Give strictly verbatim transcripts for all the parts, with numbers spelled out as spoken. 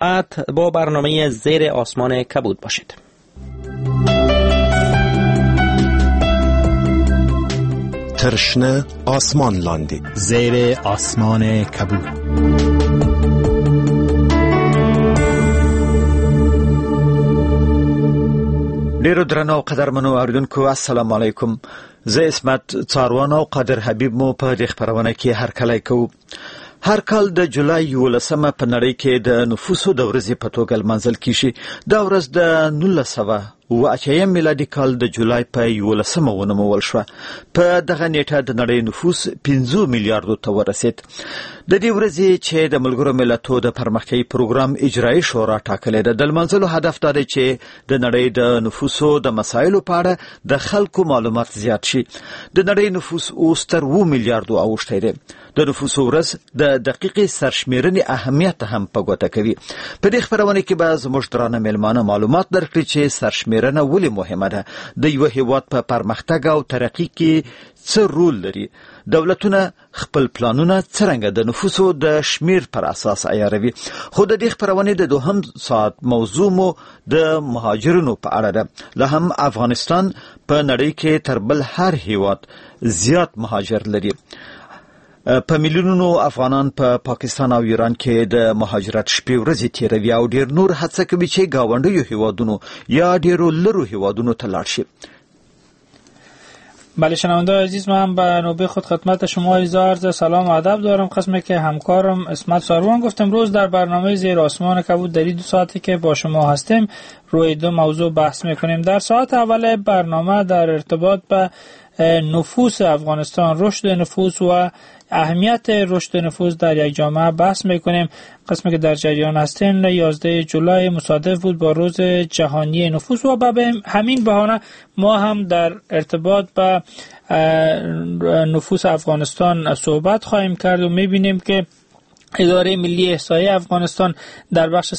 با برنامه زیر آسمان کبود باشید. ترشنه آسمان لاندی، زیر آسمان کبود. ډیرو درنو قدرمنو اوریدونکو، السلام علیکم. زه عصمت څاروان او قادر حبیب مو په دې خپرونه کې هرکلی کوو. هر کال د جولای یولسمه په نړۍ کې د نفوسو د ورځې په توګه لمانځل کیږي. دا ورځ د نولس سوه اووه اتیا میلادي کال د جولای په یولسمه ونومول شوه. په دغه نیټه د نړۍ نفوس پنځو میلیاردو ته ورسید. د دې ورځې چې د ملګرو ملتو د پرمختیايي پروګرام اجرایي شورا ټاکلې ده، د لمانځلو هدف دا دی چې د نړۍ د نفوسو د مسایلو په اړه د خلکو معلومات زیات شي. د نړۍ نفوس اوس تر اوو میلیاردو اوښتی دی. د نفوسو ورځ د دقیقې سرشمیرنې اهمیت هم په ګوته کوي. په دې خپرونه کې به زموږ درانه میلمانه معلومات درکړي چې سرشمیرنه ولې مهمه ده، د یوه هیواد په پرمختګ او ترقي کې څه رول لري، دولتونه خپل پلانونه څرنګه د نفوسو د شمیر پر اساس عیاروي. خو د دې خپرونې د دوهم ساعت موضوع مو د مهاجرینو په اړه ده. له هم افغانستان په نړۍ کې تر بل هر هیواد زیات مهاجر لري. په میلیونونو افغانان په پاکستان او ایران کې د مهاجرت شپې ورځې تیروي او ډیر نور هڅه کوي چې ګاونډیو هیوادونو یا ډیرو لرو هیوادونو ته لاړ شي. بله شنونده عزیز، من به نوبه خود خدمت شما عرض سلام و ادب دارم. قسمی که همکارم عصمت ساروان گفت، امروز در برنامه زیر آسمان کبود در دو ساعتی که با شما هستیم روی دو موضوع بحث میکنیم. در ساعت اول برنامه در ارتباط به نفوس افغانستان، رشد نفوس و اهمیت رشد نفوس در یک جامعه بحث میکنیم. قسمی که در جریان هستین، یازده جولای مصادف بود با روز جهانی نفوس و به همین بهانه ما هم در ارتباط با نفوس افغانستان صحبت خواهیم کرد و میبینیم که اداره ملی احصایه افغانستان در بخش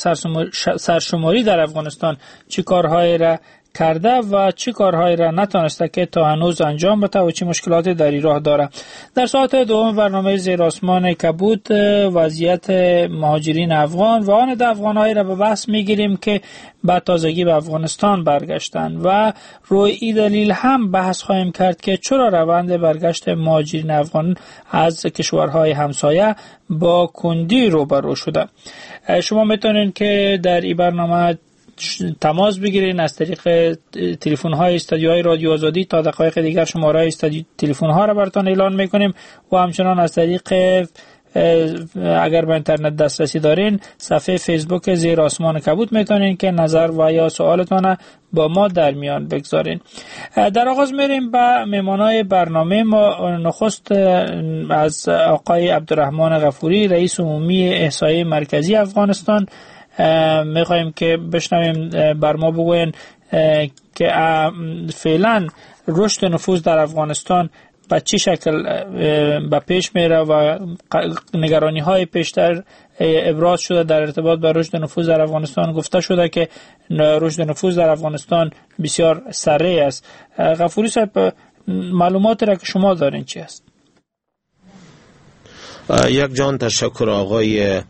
سرشماری در افغانستان چه کارهایی را کرده و چه کارهایی را نتانسته که تا هنوز انجام بده و چه مشکلاتی در این راه داره. در ساعت دوم برنامه زیر آسمان کبود وضعیت مهاجرین افغان و آن افغانهایی را به بحث میگیریم که به تازگی به افغانستان برگشتند و روی این دلیل هم بحث خواهیم کرد که چرا روند برگشت مهاجرین افغان از کشورهای همسایه با کندی روبرو شده. شما میتونید که در این برنامه تماس بگیرین از طریق تلفن های استودیوهای رادیو آزادی. تا دقایق دیگر شماره استودیو تلفن ها را براتون اعلان میکنیم و همچنان از طریق اگر به اینترنت دسترسی دارین صفحه فیسبوک زیر آسمان کبود میتونین که نظر و یا سوالتان با ما در میان بگذارین. در آغاز میریم به مهمانای برنامه ما. نخست از آقای عبدالرحمن غفوری، رئیس عمومی احصایه مرکزی افغانستان، میخوایم که بشنویم بر ما بگوین که فعلا رشد نفوس در افغانستان به چه شکل به پیش میره و نگرانی های پیشتر ابراز شده در ارتباط با رشد نفوس در افغانستان. گفته شده که رشد نفوس در افغانستان بسیار سریع است. غفوری صاحب، معلومات را که شما دارین چی است؟ یک جان تشکر آقای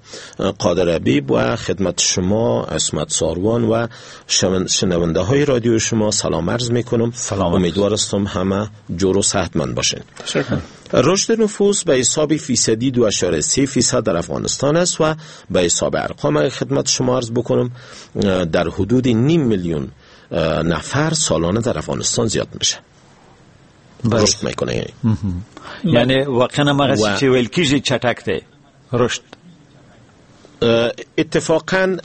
قادر حبیب و خدمت شما عصمت ساروان و شنونده های رادیو شما سلام عرض میکنم. سلام. امیدوار هستم همه جور و صحتمند باشین. تشکر. رشد نفوس به حساب فیصدی دو اعشاریه سه فیصد در افغانستان است و به حساب ارقام خدمت شما عرض بکنم در حدود نیم میلیون نفر سالانه در افغانستان زیاد میشه، رشد میکنه. یعنی یعنی واقعا ما چې ویل کیږي چټک دی رشد. اتفاقا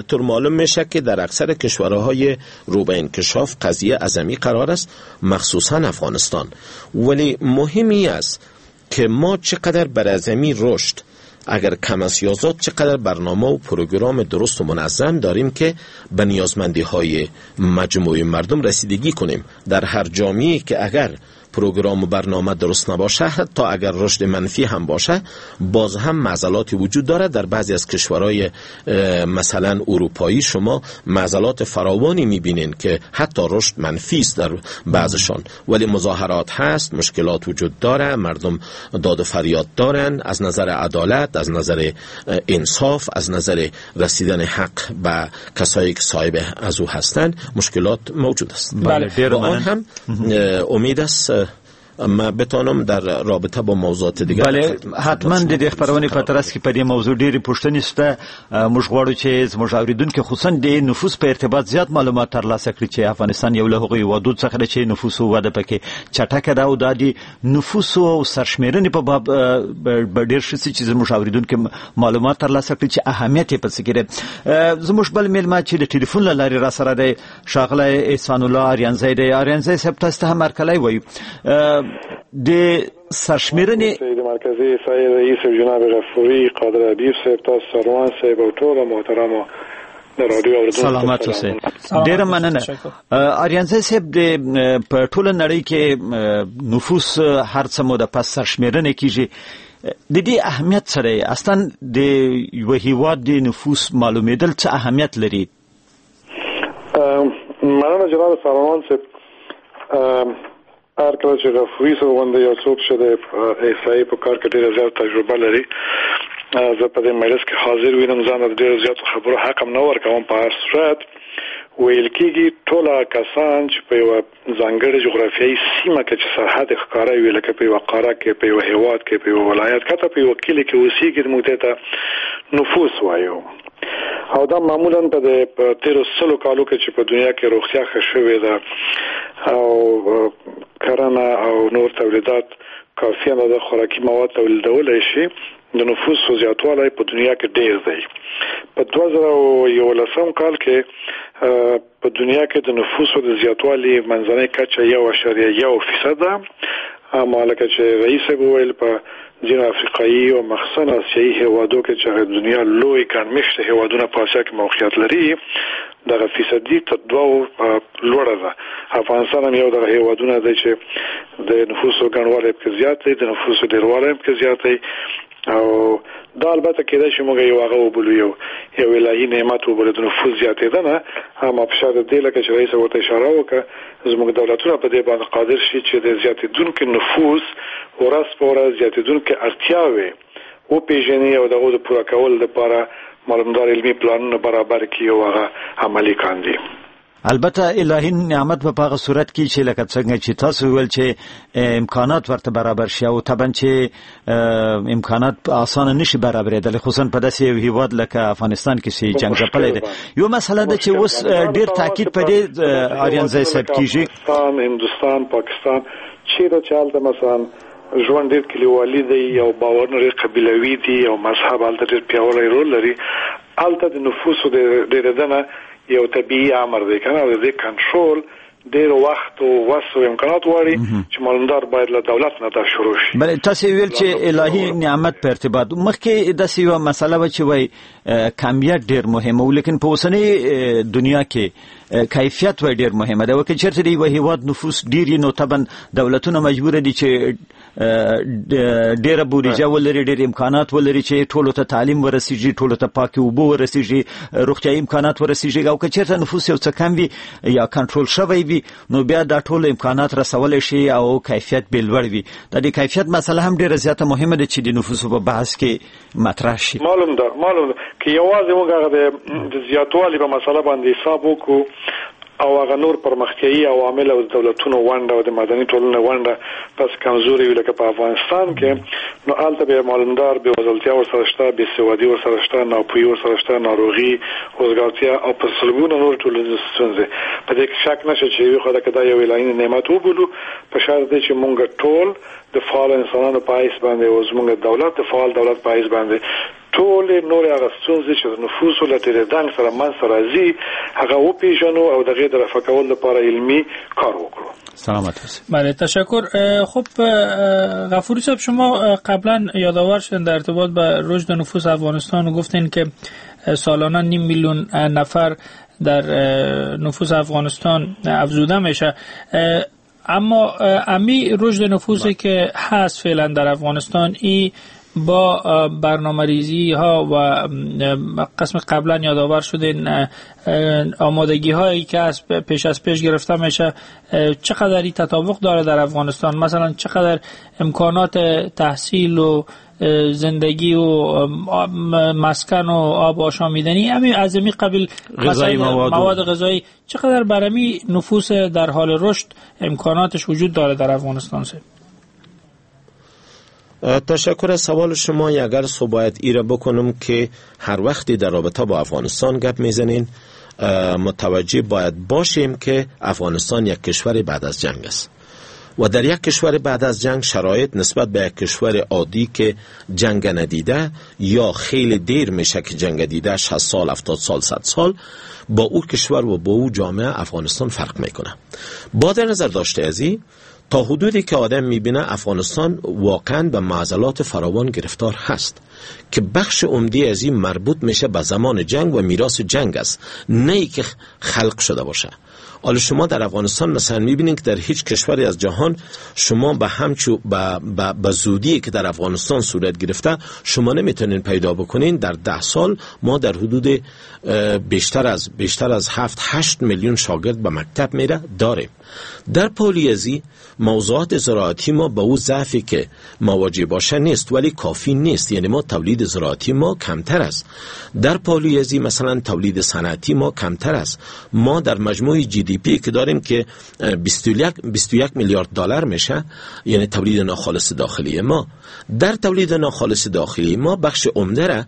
طور معلوم میشه که در اکثر کشورهای رو به انکشاف قضیه ازمی قرار است، مخصوصا افغانستان. ولی مهمی است که ما چقدر بر ازمی رشد اگر کم است یا زیاد، چقدر برنامه و پروگرام درست و منظم داریم که به نیازمندی های مجموعه مردم رسیدگی کنیم. در هر جامعه که اگر پروگرام و برنامه درست نباشه، حتی اگر رشد منفی هم باشه، باز هم معضلاتی وجود داره. در بعضی از کشورهای مثلا اروپایی شما معضلات فراوانی میبینین که حتی رشد منفی است در بعضشان، ولی مظاهرات هست، مشکلات وجود داره، مردم داد و فریاد دارن از نظر عدالت، از نظر انصاف، از نظر رسیدن حق به کسایی که صاحب از او هستند، مشکلات موجود است. بله، و آن هم امید است ما بتانم در رابطه با موضوعات دیگر. بله، حتما د دې خپرونې په ترڅ کې په دې موضوع ډېرې پوښتنې شته. موږ غواړو چې زموږ اورېدونکي خصوصا د نفوس په ارتباط زیات معلومات ترلاسه کړي چې افغانستان یو له هغو هېوادو څخه دی چې نفوسو وده پکې چټکه ده او دا د نفوسو او سرشمېرنې په باب به ډېر ښه سي چې زموږ اورېدونکي معلومات ترلاسه کړي چې اهمیت یې په څه کې دی. زموږ بل مېلمه چې د ټلیفون له لارې راسره دی ښاغلی احسان الله آریانزی دی. آریانزی صاحب، تاسو ته هم هرکلی وایو. د سرشمېرنې د مرکزي احصایې رئیس جناب غفوري، قادر حبیب صاحب، تاسو سروان صاحب او ټولو محترمو د رادیو اورېدونکو سلامت اوسئ. ډېره مننه. آریانزی صاحب، د په ټوله نړۍ کې نفوس هر څه موده پس سرشمېرنې کېږي، د دې اهمیت څه دی؟ اصلا د یوه هېواد د نفوس معلومېدل څه اهمیت لري؟ مننه جناب سروان صاحب. هر کله چې غفوري صاحب غوندې یو څوک چې د احصایې په کار کې ډېره زیاته تجربه لري، زه په دې مجلس کې حاضر وینم، ځان د ډېرو زیاتو خبرو حق هم نه ورکوم. په هر صورت ویل کېږي ټول هغه کسان چې په یوه ځانګړې جغرافیایي سیمه کې چې سرحد یې ښکاره وي، لکه په یوه قاره کې، په یوه هېواد کې، په یوه ولایت کې، حتی په یوه کلي کې اوسېږي، موږ دې ته نفوس وایو. او دا معمولا په د تېرو سلو کالو کې چې په دنیا کې روغتیا ښه شوې ده او کرنه او نور تولیدات کافي اندازه خوراکي مواد تولیدولی شي، د نفوسو زیاتوالی په دنیا کې ډېر دی. په دوه زره او یولسم کال کې په دنیا کې د نفوسو د زیاتوالي منځنۍ کچه یو اعشاریه یو فیصد ده. اما لکه چې رئیس صاحب وویل، په ځینو افریقایي او مخصوصا آسیایي هېوادو کې چې هغه دنیا لوی ګڼ مېشته هېوادونه په آسیا کې موقعیت لري، دغه فیصدي تر دوو لوړه ده. افغانستان هم یو دغه هېوادونه دی چې د نفوسو ګڼوالی پکې زیات دی، د نفوسو ډېروالی هم پکې زیات دی. او دا البته کېدای شي موږ یو هغه وبولو، یو یو الهي نعمت وبولو د نفوس زیاتېدنه. اما په شاته دې لکه چې رئیس ورته اشاره وکړه، زموږ دولتونه په دې باندې قادر شي چې د زیاتېدونکي نفوس ورځ په ورځ زیاتېدونکي اړتیاوې وپېژني او د هغو د پوره کولو لپاره معلومدار علمي پلانونه برابر کړي او هغه عملي کاندي. البته الهي نعمت په هغه صورت کې چې لکه څنګه چې تاسو ویل چې امکانات ورته برابر شي، او طبعا چې امکانات اسانه نشي برابرېدلی، خصوصا په داسې یو هیواد لکه افغانستان کې چې جنګ ځپلی دی. یو مسله ده چې اوس ډېر تاکید په دې آریانزی صاحب کېږي، افغانستان، هندوستان، پاکستان، چیرې چې هلته مثلا ژوند ډېر کلیوالي دی او باورونه ډېر قبیلوي دي او مذهب هلته ډېر پیاوړی رول لري، هلته د نفوسو د ډېرېدنه یو طبیعي امر دی کنه، او د دې کنټرول ډېر وخت او وس او امکانات غواړي چې معلومدار باید له دولت نه دا شروع شي. بله، تاسو ویل چې الهي نعمت په ارتباط مخکې داسې یوه مسله وه چې وایي کمیت ډېر مهم و، لیکن په اوسنۍ دنیا کې کیفیت وایي ډېر مهمه ده. که چېرته د یوه هېواد نفوس ډېر وي، نو طبعا دولتونه مجبور دي چې ډېره بودیجه ولري، ډېر امکانات ولري چې ټولو ته تعلیم ورسیږي، ټولو ته پاکې اوبه ورسیږي، روغتیایي امکانات ورسیږي. او که چېرته نفوس یو څه کم وي یا کنټرول شوی وي، نو بیا دا ټول امکانات رسولی شي او کیفیت به لوړ وي. د دې کیفیت مسله هم ډېره زیاته مهمه ده چې د نفوسو په بحث کې مطرح شي. معلوم ده، معلوم ده که یوازې موږ هغه د زیاتوالي په مسله باندې حساب وکړو او هغه نور پرمختیایي عوامل او د دولتونو ونډه او د مدني ټولنې ونډه پس کمزوري وي لکه په افغانستان کې، نو هلته بیا معلومدار بېوزلتیا ورسره شته، بېسوادي ورسره شته، ناپوهي ورسره شته، ناروغي، وزګارتیا او په سلګونو نور ټولنیزې ستونزې. په دې کې شک نشته چې یوې خوا ته که دا یو الهي نعمت وبولو، په شرط دی چې موږ ټول د فعال انسانانو په حیث باندې او زموږ دولت د فعال دولت په حیث باندې ټولې نورې هغه ستونزې چې د نفوسو له تېرېدنګ سره منځته راځي هغه وپېژنو او د هغې د رفع کولو لپاره علمي کار وکړو. سلامت باشید. بله، تشکر. خب غفوری صاحب، شما قبلا یادآور شدن در ارتباط با رشد نفوس افغانستان و گفتین که سالانه نیم میلیون نفر در نفوس افغانستان افزوده میشه. اما امی رشد نفوسی که هست فعلا در افغانستان، ای با برنامه ریزی ها و قسم قبلا یادآور شده آمادگی هایی که از پیش از پیش گرفته میشه، چقدر تطابق داره در افغانستان؟ مثلا چقدر امکانات تحصیل و زندگی و مسکن و آب آشامیدنی امی از امی قبیل غذایی مواد, مواد غذایی چقدر برای نفوس در حال رشد امکاناتش وجود داره در افغانستان؟ سه تشکر از سوال شما. اگر سو باید ایره بکنم که هر وقتی در رابطه با افغانستان گپ میزنین متوجه باید باشیم که افغانستان یک کشور بعد از جنگ است و در یک کشور بعد از جنگ شرایط نسبت به یک کشور عادی که جنگ ندیده یا خیلی دیر میشه که جنگ دیده، شصت سال، هفتاد سال، صد سال، با او کشور و با او جامعه افغانستان فرق میکنه. با در نظر داشته ازی تا حدودی که آدم میبینه افغانستان واقعا به معضلات فراوان گرفتار هست که بخش عمده از این مربوط میشه به زمان جنگ و میراث جنگ است، نه ای که خلق شده باشه. حالا شما در افغانستان مثلا میبینید که در هیچ کشوری از جهان شما به همچو به, به, به زودی که در افغانستان صورت گرفته شما نمیتونین پیدا بکنین. در ده سال ما در حدود بیشتر از بیشتر از هفت هشت میلیون شاگرد به مکتب میره داریم. در پالیزی موضوعات زراعتی ما به او ضعفی که مواجه باشه نیست، ولی کافی نیست، یعنی ما تولید زراعتی ما کمتر است. در پالیزی مثلا تولید صنعتی ما کمتر است. ما در مجموع جی دی پی که داریم که بیست و یک میلیارد دلار میشه، یعنی تولید ناخالص داخلی ما، در تولید ناخالص داخلی ما بخش عمده را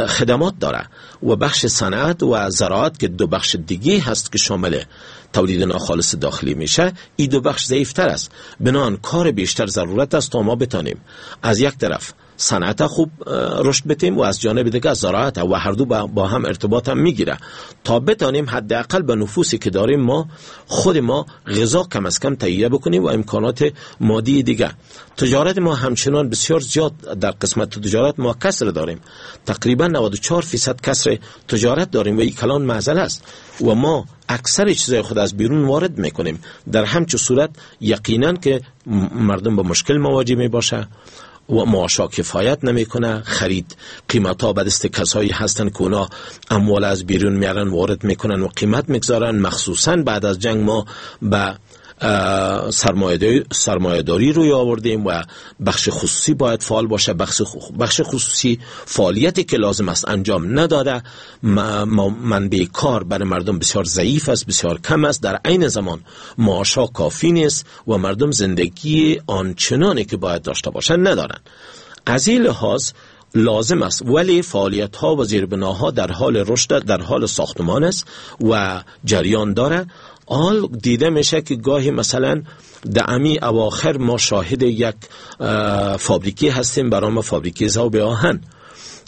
خدمات داره و بخش صنعت و زراعت که دو بخش دیگه هست که شامل تولید ناخالص داخلی میشه، این دو بخش ضعیفتر است. بنابراین کار بیشتر ضرورت است تا ما بتانیم از یک طرف صنعت خوب رشد بتیم و از جانب دیگه زراعت، و هر دو با هم ارتباط هم میگیره تا بتانیم حداقل به نفوسی که داریم ما خود ما غذا کم از کم تهیه بکنیم و امکانات مادی دیگه. تجارت ما همچنان بسیار زیاد در قسمت تجارت ما کسر داریم، تقریبا نود و چهار درصد کسر تجارت داریم و این کلان معضله است و ما اکثر چیزای خود از بیرون وارد میکنیم. در همچو صورت یقینا که مردم با مشکل مواجه می باشه و معاشا کفایت نمیکنه، خرید قیمت ها به دست کسایی هستن که اونا اموال از بیرون میارن وارد میکنن و قیمت میگذارن. مخصوصا بعد از جنگ ما به سرمایه داری روی آوردیم و بخش خصوصی باید فعال باشه. بخش بخش خصوصی فعالیتی که لازم است انجام نداده. منبع کار برای مردم بسیار ضعیف است، بسیار کم است. در عین زمان معاشا کافی نیست و مردم زندگی آنچنانی که باید داشته باشن ندارن. از این لحاظ لازم است، ولی فعالیت ها و زیربناها در حال رشد، در حال ساختمان است و جریان داره. آل دیده میشه که گاهی مثلا در امی اواخر ما شاهد یک فابریکی هستیم برای فابریکی ذوب آهن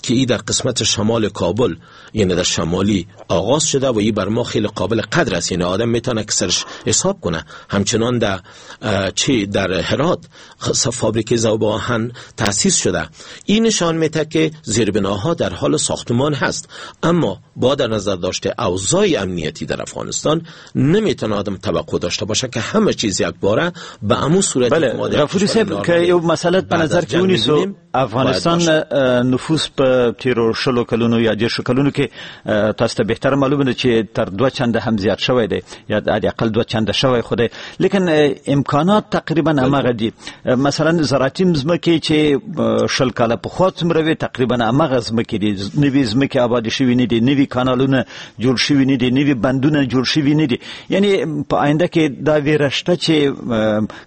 که ای در قسمت شمال کابل، یعنی در شمالی آغاز شده و ای بر ما خیلی قابل قدر است، یعنی آدم میتونه که سرش حساب کنه. همچنان در چه در هرات فابریک ذوب آهن تأسیس شده. این نشان میده که زیربناها در حال ساختمان هست، اما با در نظر داشته اوضاع امنیتی در افغانستان نمیتونه آدم توقع داشته باشه که همه چیز یک باره به امو صورت. بله غفوری صاحب، که یو مسئله به نظر کې ونیسو، افغانستان نفوس په تیرو شلو کلونو یا دیرشو کلونو کې تاسو ته بهتر معلومه ده چې تر دوه چنده هم زیات شوی دی یا حداقل دوه چنده شوی خو دی، لیکن امکانات تقریبا هماغه دي. مثلا زراعتي ځمکې چې شل کاله پخوا څومره وې تقریبا هماغه ځمکې دي، نوې ځمکې آبادې شوې نه دي، نوي کانالونه جوړ شوي نه دي، نوي بندونه جوړ شوي نه دي. یعنی په آینده کې دا ویره شته چې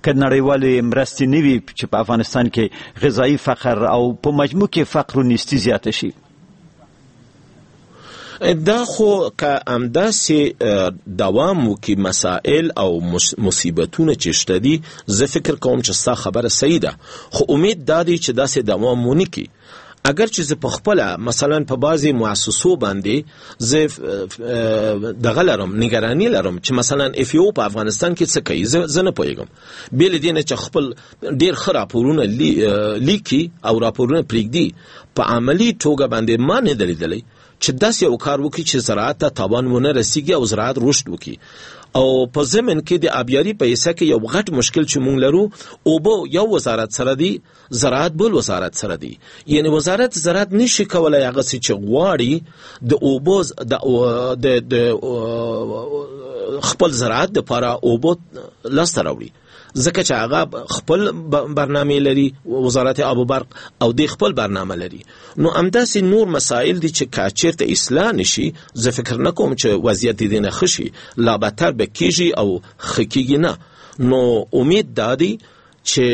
که نړیوالې مرستې نه وي چې په افغانستان کې غذایي فقر او په مجموع کې فقر و نیستی زیاته شي. دا خو که همداسې دوام وکړي مسائل او مصیبتونه چې شته دي، زه فکر کوم چې ستا خبره صحیح ده، خو امید دا دی چې داسې دوام ونه کړي. اگر چې زه په خپله مثلا په بعضې مؤسسو باندې زه دغه لرم، نگرانی لرم چې مثلا اف یو په افغانستان کې څه کوي، زه زه نه پوهېږم. بې له دې نه چې خپل ډېر ښه راپورونه لیکي او راپورونه پرېږدي، په عملي توګه باندې ما نه دی لیدلی چې داسې یو کار وکړي چې زراعت ته تاوان ونه رسیږي او زراعت رشد وکړي. او په ضمن کې د آبیاري په حصه کې یو غټ مشکل چې مونږ لرو، اوبه یو وزارت سره دی، زراعت بل وزارت سره دی. یعنی وزارت زراعت نشي کولای هغه څه چې غواړي د اوبو د د د خپل زراعت دپاره اوبه لاسته راوړي، ځکه چې هغه خپل برنامه لري وزارت آب و برق او دی خپل برنامه لري. نو همداسې نور مسائل دي چې که چیرته اصلاح نشي، زه فکر نکوم چې وضعیت دې نه ښه شي، لا بدتر به کیږي او ښه کیږي نه. نو امید دا دی چې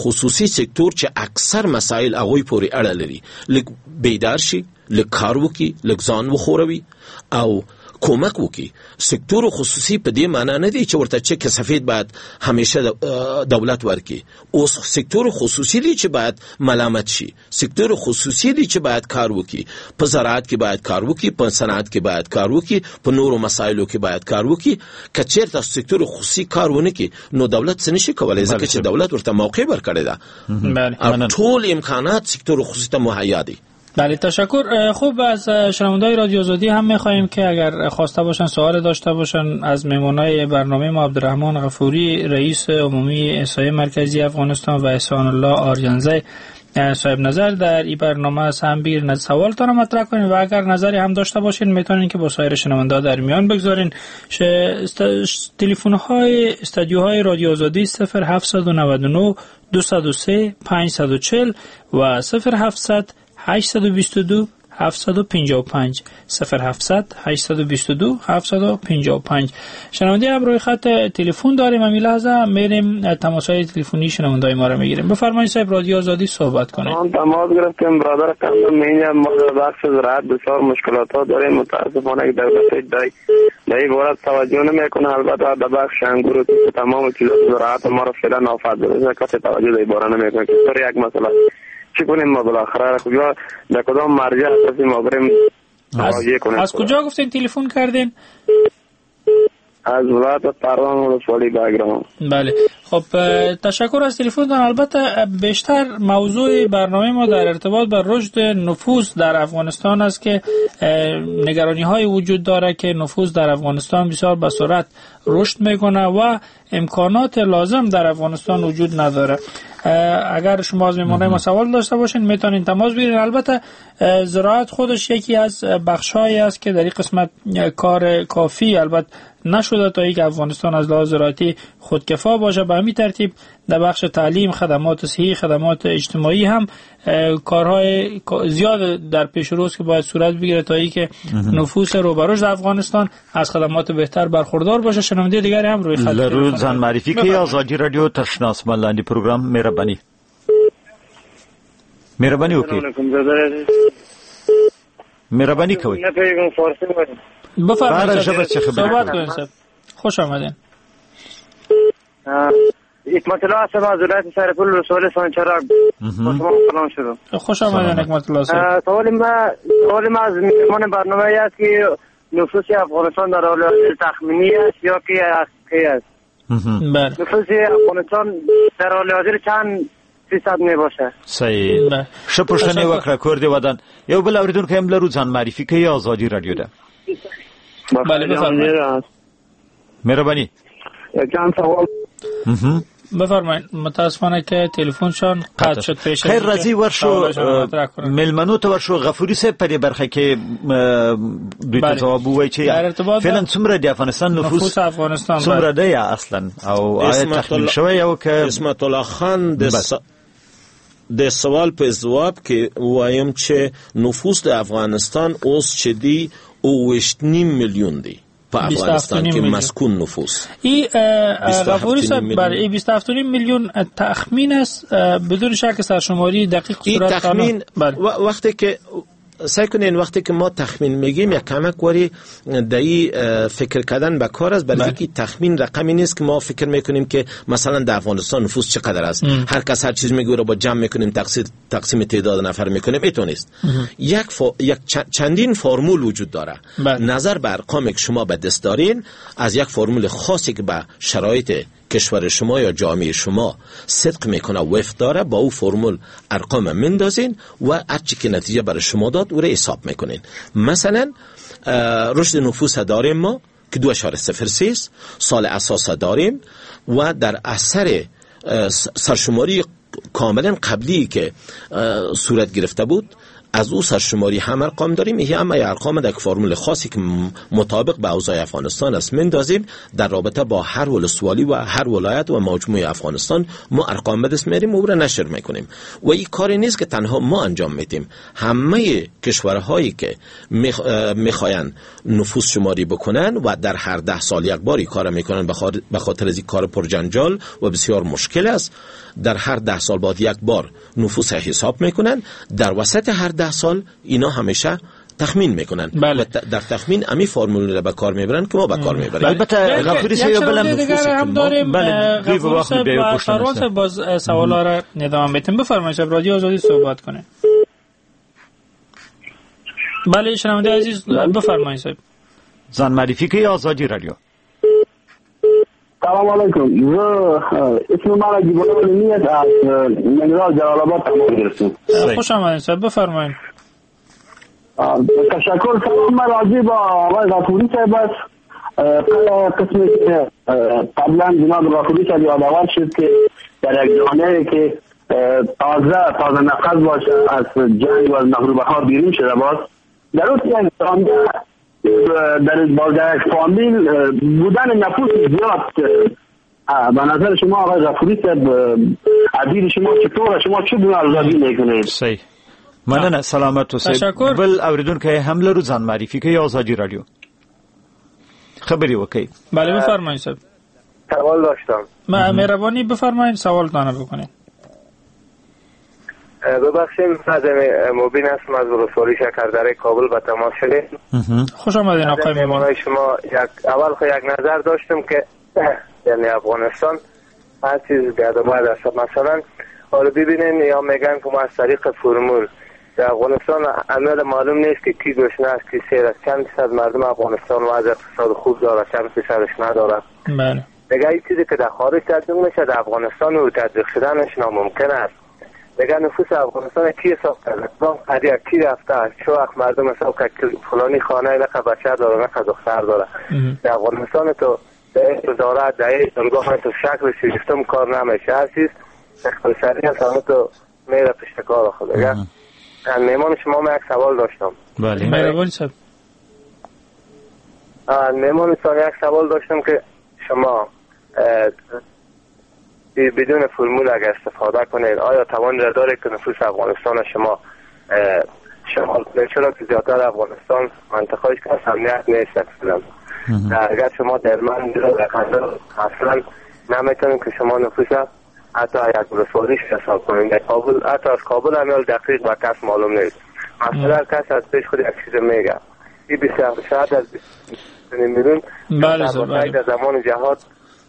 خصوصي سکتور چې اکثر مسائل هغوی پورې اړه لري، لږ بیدار شي، لږ کار وکړي، لږ ځان وښوروي او کمک وکړي. سکتور خصوصي په دې معنا نه دی چې ورته چک سفید باید همیشه دولت ورکړي. اوس سکتور خصوصي دی چې باید ملامت شي، سکتور خصوصي دی چې باید کار وکړي، په زراعت کې باید کار وکړي، په صنعت کې باید کار وکړي، په نورو مسایلو کې باید کار وکړي. که چیرته سکتور خصوصي کار ونه کړي نو دولت څه نشي کولای، ځکه چې دولت ورته موقع ورکړې ده او ټول امکانات سکتور خصوصي ته مهیا دي. بله تشکر. خوب از شنونده‌های رادیو آزادی هم می‌خواهیم که اگر خواسته باشن سوال داشته باشن از مهمانای برنامه ما عبدالرحمن غفوری رئیس عمومی احصائیه مرکزی افغانستان و احسان الله آریانزی صاحب نظر در این برنامه از هم بیر سوالتان رو مطرح کنین و اگر نظری هم داشته باشین میتونین که با سایر شنونده در میان بگذارین. تلفن های استودیوهای رادیو آزادی صفر هفت نه نه دو صفر سه پنج چهار و صفر هفت هشت دو دو هفت پنج پنج صفر هفت هشت دو دو هفت پنج پنج. شنونده هم روی خط تلفن داریم، همین لحظه میریم تماس‌های تلفنی شنونده‌های ما رو میگیریم. بفرمایید صاحب رادیو آزادی صحبت کنید. ما تماس گرفتیم برادر قندم، اینجا ما در بخش زراعت بسیار مشکلات ها داریم. متاسفانه که دولت دای در باره توجه نمیکنه. البته در بخش انگور و تمام چیزات زراعت ما رو فعلا آفت زده، کسی توجه در باره نمیکنه. که یک مسئله چی کنیم ما بالاخره کجا در کدام مرجع هستیم ما بریم مراجعه کنیم؟ از کجا گفتین تلفن کردین؟ از ولایت پروان ولسوالی بگرام. بله خب تشکر از تلفنتان. البته بیشتر موضوع برنامه ما در ارتباط با رشد نفوس در افغانستان است که نگرانی های وجود داره که نفوس در افغانستان بسیار به سرعت رشد میکنه و امکانات لازم در افغانستان وجود نداره. اگر شما از مهمانای ما سوال داشته باشین میتونین تماس بگیرین. البته زراعت خودش یکی از بخش‌هایی است که در این قسمت کار کافی البته نشده تا اینکه افغانستان از لحاظ زراعتی خودکفا باشه. به همین ترتیب در بخش تعلیم، خدمات صحی، خدمات اجتماعی هم کارهای زیاد در پیش روست که باید صورت بگیره تا اینکه نفوس رو به رشد افغانستان از خدمات بهتر برخوردار باشه. شنونده دیگری هم روی خط لرو ځان معرفي کوي. ازادي رادیو تر شنه اسمان لاندې پروګرام. مهرباني مهرباني وکړئ، مهرباني کوئ. بفرمایید صحبت کنید صاحب. خوش آمدین. حکمت الله هستم از ولایت سرپل ولسوالی سانچراغ. با شما سلام شدم. خوش آمدین حکمت الله صاحب. سوال ما سوال ما از مهمان برنامه است که نفوس افغانستان در حال حاضر تخمینی است یا که حقیقی است؟ بله. نفوس افغانستان در حال حاضر چند فیصد می باشه؟ صحیح. ښه پوښتنه وکړه، کور دې ودان. یو بل اوریدونکی هم لرو، ځان معرفي کوي. ازادي رادیو ده. بله بفرمایید. مهربانی. چند سوال. بفرمایید. متاسفانه که تلفنشان قطع شد. پیش خیر راځي ورشو میلمنو ته ورشو. غفوري صاحب په دې برخه کې دوی ته ځواب ووایي چې فعلا څومره د افغانستان نفوس نفوس افغانستان څومره دی اصلا، او آیا تخمین شوی او که عصمت الله خان د د سوال په ځواب کې وایم چې نفوس د افغانستان اوس چې دی اوویشت نیم میلیون دی په افغانستان کې مسکون نفوس. این غفوری صاحب بله این بیست و هفت و نیم میلیون تخمین است، بدون شک سرشماری دقیق صورت تخمین. بله. وقتی که سعی کنین وقتی که ما تخمین میگیم یک کمک وری دایی فکر کردن به کار است، برای اینکه تخمین رقمی نیست که ما فکر میکنیم که مثلا در افغانستان نفوس چقدر است. هر کس هر چیز میگه رو با جمع میکنیم، تقسیم تقسیم تعداد نفر میکنیم، اینطور نیست. یک ف... یک چندین فرمول وجود داره. بله. نظر به ارقامی که شما به دست دارین از یک فرمول خاصی که به شرایط کشور شما یا جامعه شما صدق میکنه و وفق داره، با او فرمول ارقام مندازین و هرچی که نتیجه برای شما داد او را حساب میکنین. مثلا رشد نفوس داریم ما که دو اعشاریه صفر سه سال اساس داریم و در اثر سرشماری کاملا قبلی که صورت گرفته بود از او سرشماری هم ارقام داریم، این هم ارقام در فرمول خاصی که مطابق به اوضاع افغانستان است مندازیم. در رابطه با هر ولسوالی و هر ولایت و مجموعه افغانستان ما ارقام به دست میاریم و او را نشر میکنیم و این کاری نیست که تنها ما انجام میدیم. همه کشورهایی که میخواین نفوس شماری بکنن و در هر ده سال یک بار این کار میکنن، به خاطر از این کار پرجنجال و بسیار مشکل است، در هر ده سال بعد یک بار نفوس حساب میکنن، در وسط هر ده سال اینا همیشه تخمین میکنن. بله. در تخمین امی فرمول را به کار میبرن که ما به کار میبریم. البته غفوری صاحب بلم نفوس هم داریم. بله غفوری صاحب سروان صاحب باز سوالا را ادامه میتیم. بفرمایید صاحب، رادیو آزادی صحبت کنه. بله شنونده عزیز بفرمایید صاحب. ځان معرفي کوي آزادی رادیو. سلام علیکم، زه اسم من عجیب الله است، از ننگرهار جلال آباد تماس گرفتم. خوش آمدید صاحب، بفرمایید. تشکر. سلام من راجع با آقای غفوری صاحب است. قسمی که قبلا جناب غفوری صاحب یادآور شد که در یک جامعه که تازه تازه نفس باشه از جنگ و از مغلوبه ها بیرون شده باز، در اون یک جامعه در در یک فامیل بودن نفوس زیاد، به نظر شما آقای غفوری صاحب عدیل شما چطور، شما چگونه ارزیابی میکنید؟ صحیح، مننه، سلامت اوسئ. بل اوریدونکی هم لرو، ځان معرفي کوي آزادی رادیو خبرې وکړئ. بله بفرمایید صاحب. سوال داشتم. ما مهربانی بفرمایید سوالتان بکنید. ببخشید از مبین هستم، از ولسوالی شکردره کابل به تماس شدیم. خوش آمدین آقای مهمان. شما یک اول خو یک نظر داشتم که یعنی افغانستان هر چیز گرد است. مثلا حالا ببینین یا میگن که ما از طریق فرمول در افغانستان عمل معلوم نیست که کی گشنه است کی سیر است، چند درصد مردم افغانستان وضع اقتصاد خوب داره چند درصدش نداره. بله دیگه این چیزی که در خارج تطبیق میشه در افغانستان و تطبیق شدنش ناممکن است. دیگه نفوس افغانستان کی حساب کرده؟ کدام قریه کی رفته؟ چه وقت مردم حساب کرد که فلانی خانه نقه بچه داره نقه دختر داره؟ در افغانستان تو در وزارت در دانگاه تو شکل سیستم کار نمیشه، هر چیز اختصاری هست تو میره پشت کار خود. دیگه مهمان شما من یک سوال داشتم. بله مهربان صاحب. مهمان یک سوال داشتم که شما بدون فرمول اگر استفاده کنید آیا توان را داره که نفوس افغانستان شما شمال کنید؟ چرا که زیادتر افغانستان منطقه‌ایش که امنیت نیست اصلا. اگر شما در من اصلا نمیتونید که شما نفوس حتی یک ولسوالیش حساب کنید. در کابل حتی از کابل هم دقیق با کس معلوم نیست. مثلا کس از پیش خود یک چیز میگه. این بیست شاید از بیست میلیون بله در زمان جهاد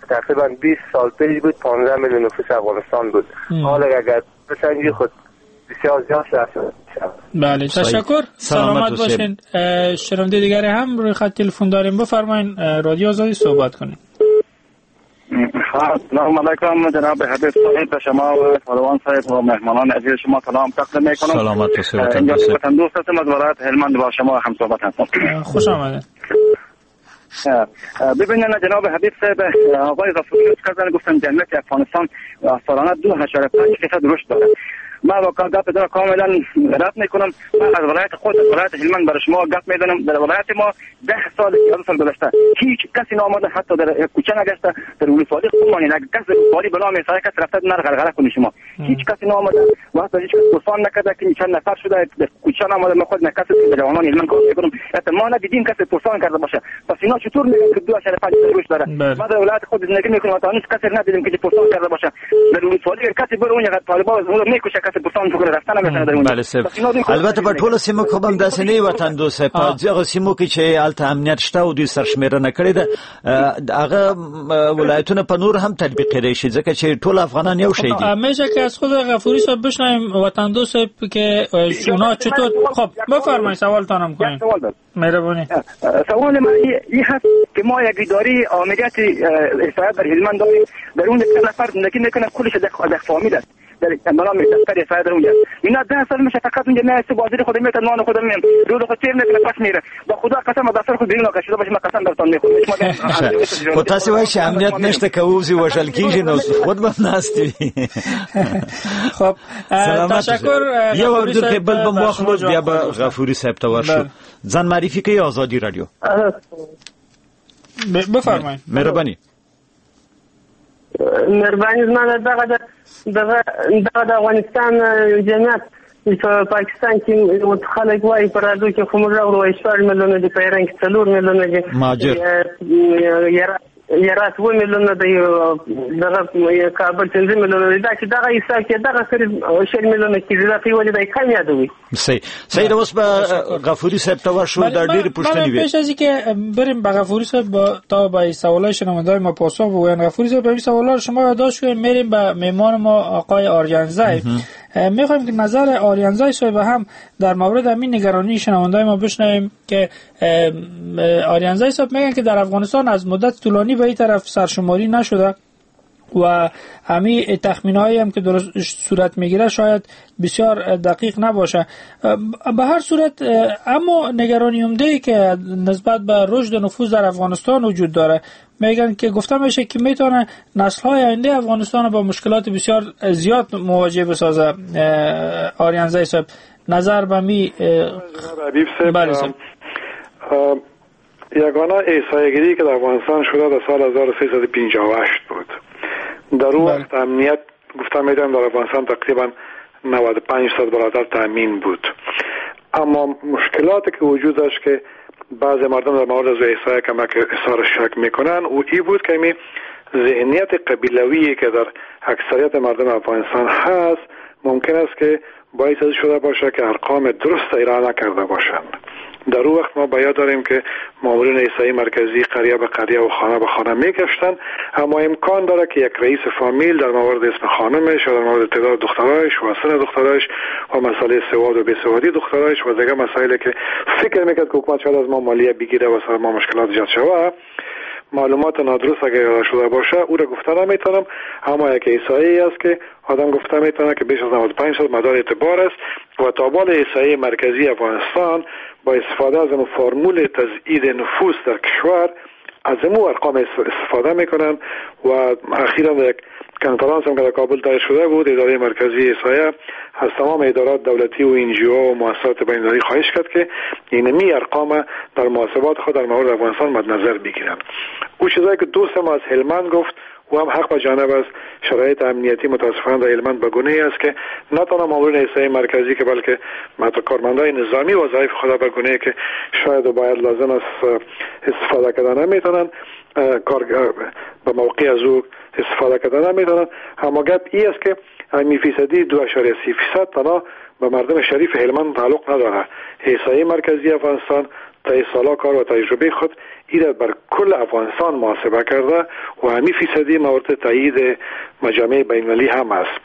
تقریبا بیست سال پیش بود پانزده میلیون نفوس افغانستان بود. حالا اگر بسنجی خود بسیار زیاد شد. بله تشکر، سلامت باشین. شنونده دیگری هم روی خط تلفن داریم، بفرمایین رادیو آزادی صحبت کنید. سلام علیکم جناب حبیب صاحب، به شما و سلوان صاحب و مهمانان عزیز شما سلام تقدیم میکنم. سلامت باشید. وطن دوست هستم از ولایت هلمند با شما هم صحبت هستم. خوش آمدید. ببینید جناب حبیب صاحب، آقای غفوری کردن گفتن جمعیت افغانستان سالانه دو اعشاریه پنج درصد رشد داره. ما واقعا گپ دارم کاملا رد میکنم. من از ولایت خود از ولایت هلمند برای شما گپ میزنم. در ولایت ما ده سال یازده سال گذشته هیچ کسی نامده، حتی در کوچه نگشته، در ولسوالی خودمان یک کس ولسوالی به نام سایه کس رفته نر غرغره کنی شما هیچ کسی نامده و حتی هیچ کس پرسان نکرده که چند نفر شده در کوچه نامده. ما خود کسی که جوانان هلمند کار میکنم حتی ما ندیدیم کسی پرسان کرده باشه. پس اینا چطور میگن که دو اعشاریه پنج رشد داره؟ ما در ولایت خود زندگی میکنم و تا هنوز کسی ندیدیم که پرسان کرده باشه. در ولسوالی کسی بر اون طالبان میکشه کسی پرسان فکر رفتن نمیتونه در اونجا. بله صاحب، البته په ټولو سیمو کې هم داسې نه وطن دوست صاحب، په هغو سیمو کې چې هلته امنیت شته او دوی سرشمېرنه کړې ده، هغه ولایتونه په نور هم تطبیق شي، ځکه چې ټول افغانان یو شی دي. میشه که از خود غفوری صاحب بشنویم وطن دوست صاحب که اونا چطور. خب بفرمایید سوالتان هم کنید. مهربانی. سوال من این هست که ما یک اداره عملیات احصائیه در هلمند داریم، در اون یک نفر زندگی میکنه، کلش در فامیل است، در نام دفتر احصائیه در اونجا. اینا ده سال میشه فقط اونجا نه است، بازاری خود میتونه نان خود میام رود خود تیر میکنه پس میره. با خدا قسم دفتر خود بیرون کشیده باشه، من قسم براتون میخورم. خو تاسو وایئ چې امنیت نشته، که ووځي وژل کیږي نو خود به ناست وي. خب تشکر. یو اورېدونکی بل به مو واخلو، بیا به غفوري صاحب ته ورشو. ځان معرفي کوي ازادي رادیو. بفرمایئ. مهرباني. مهرباني. زما دغه دغه دغه د افغانستان جمعیت په پاکستان کې خلک وایي په رادیو کې، خو موږ اورو وایي شپږ میلیونه دي، په ایران کې څلور میلیونه دي، مهاجر هرات اووه میلیونه دی، دغه کابل پنځه میلیونه دی. دا چې دغه حساب کې دغه قریب شل میلیونه کېږي، دا په ولې دی کم یادوي. صحیح صحیح. اوس به غفوري صاحب ته ورشو، دا ډېرې پوښتنې وې. پیش از اینکه بریم به غفوری صاحب با تا به سوالای شنونده‌های ما پاسخ بگوین، غفوری صاحب این سوالا رو شما یادداشت کنید. میریم به مهمان ما آقای آریانزی. میخوایم که نظر آریانزی صاحب هم در مورد همین نگرانی شنونده‌های ما بشنویم که آریانزی صاحب میگن که در افغانستان از مدت طولانی به این طرف سرشماری نشده و همین تخمین‌هایی هم که درست صورت میگیره شاید بسیار دقیق نباشه. به هر صورت اما نگرانی عمده‌ای که نسبت به رشد نفوذ در افغانستان وجود داره، میگن که گفته میشه که میتونه نسل‌های آینده افغانستان با مشکلات بسیار زیاد مواجه بسازه. آریانزی صاحب نظر به می بله صاحب. یگانه احصائیه‌گیری که در افغانستان شده در سال هزار و سیصد و پنجاه و هشت بود. در اون وقت امنیت گفتم میدم در افغانستان تقریبا نود و پنج درصد برادر تامین بود، اما مشکلاتی که وجود داشت که بعضی مردم در مورد از احصائیه کمک اظهار شک میکنن و ای بود که می ذهنیت قبیلوی که در اکثریت مردم افغانستان هست ممکن است که باعث شده باشه که ارقام درست ارائه نکرده باشند. در اون وقت ما باید داریم که مامورین احصایی مرکزی قریه به قریه و خانه به خانه میگشتن، اما امکان داره که یک رئیس فامیل در مورد اسم خانمش و در مورد تعداد دخترایش و سن دخترایش و مسئله سواد و بیسوادی دخترایش و دیگه مسائلی که فکر میکرد که حکومت شاید از ما مالیه بگیره و سر ما مشکلات ایجاد شود، معلومات نادرست اگر ارائه شده باشه او را گفته نمیتونم. اما یک احصایه است که آدم گفته میتونه که بیش از نود و پنج درصد مدار اعتبار است و تا بال احصایه مرکزی افغانستان با استفاده از فرمول تزیید نفوس در کشور از امو ارقام استفاده میکنن و اخیرا یک کنفرانس هم که در کابل دایر شده بود، اداره مرکزی احصایه از تمام ادارات دولتی و ان جی او و مؤسسات بین‌المللی خواهش کرد که اینمی ارقام در محاسبات خود در مورد افغانستان مد نظر بگیرن. او چیزایی که دوست ما از هلمند گفت و هم حق به جانب است، شرایط امنیتی متاسفانه در هلمند به گونه ای است که نه تنها مامورین احصایه مرکزی که بلکه حتی کارمندای نظامی وظایف خود به گونه ای که شاید و باید لازم است استفاده کردن نمیتونن، کار به موقع از او استفاده کردن نمیتونن. اما گپ ای است که همین فیصدی دو اعشاریه سه فیصد تنها به مردم شریف هلمند تعلق نداره. احصایه مرکزی افغانستان تا سالا کار و تجربه خود ایره بر کل افغانستان محاسبه کرده و همین فیصدی مورد تایید مجامع بین‌المللی هم است.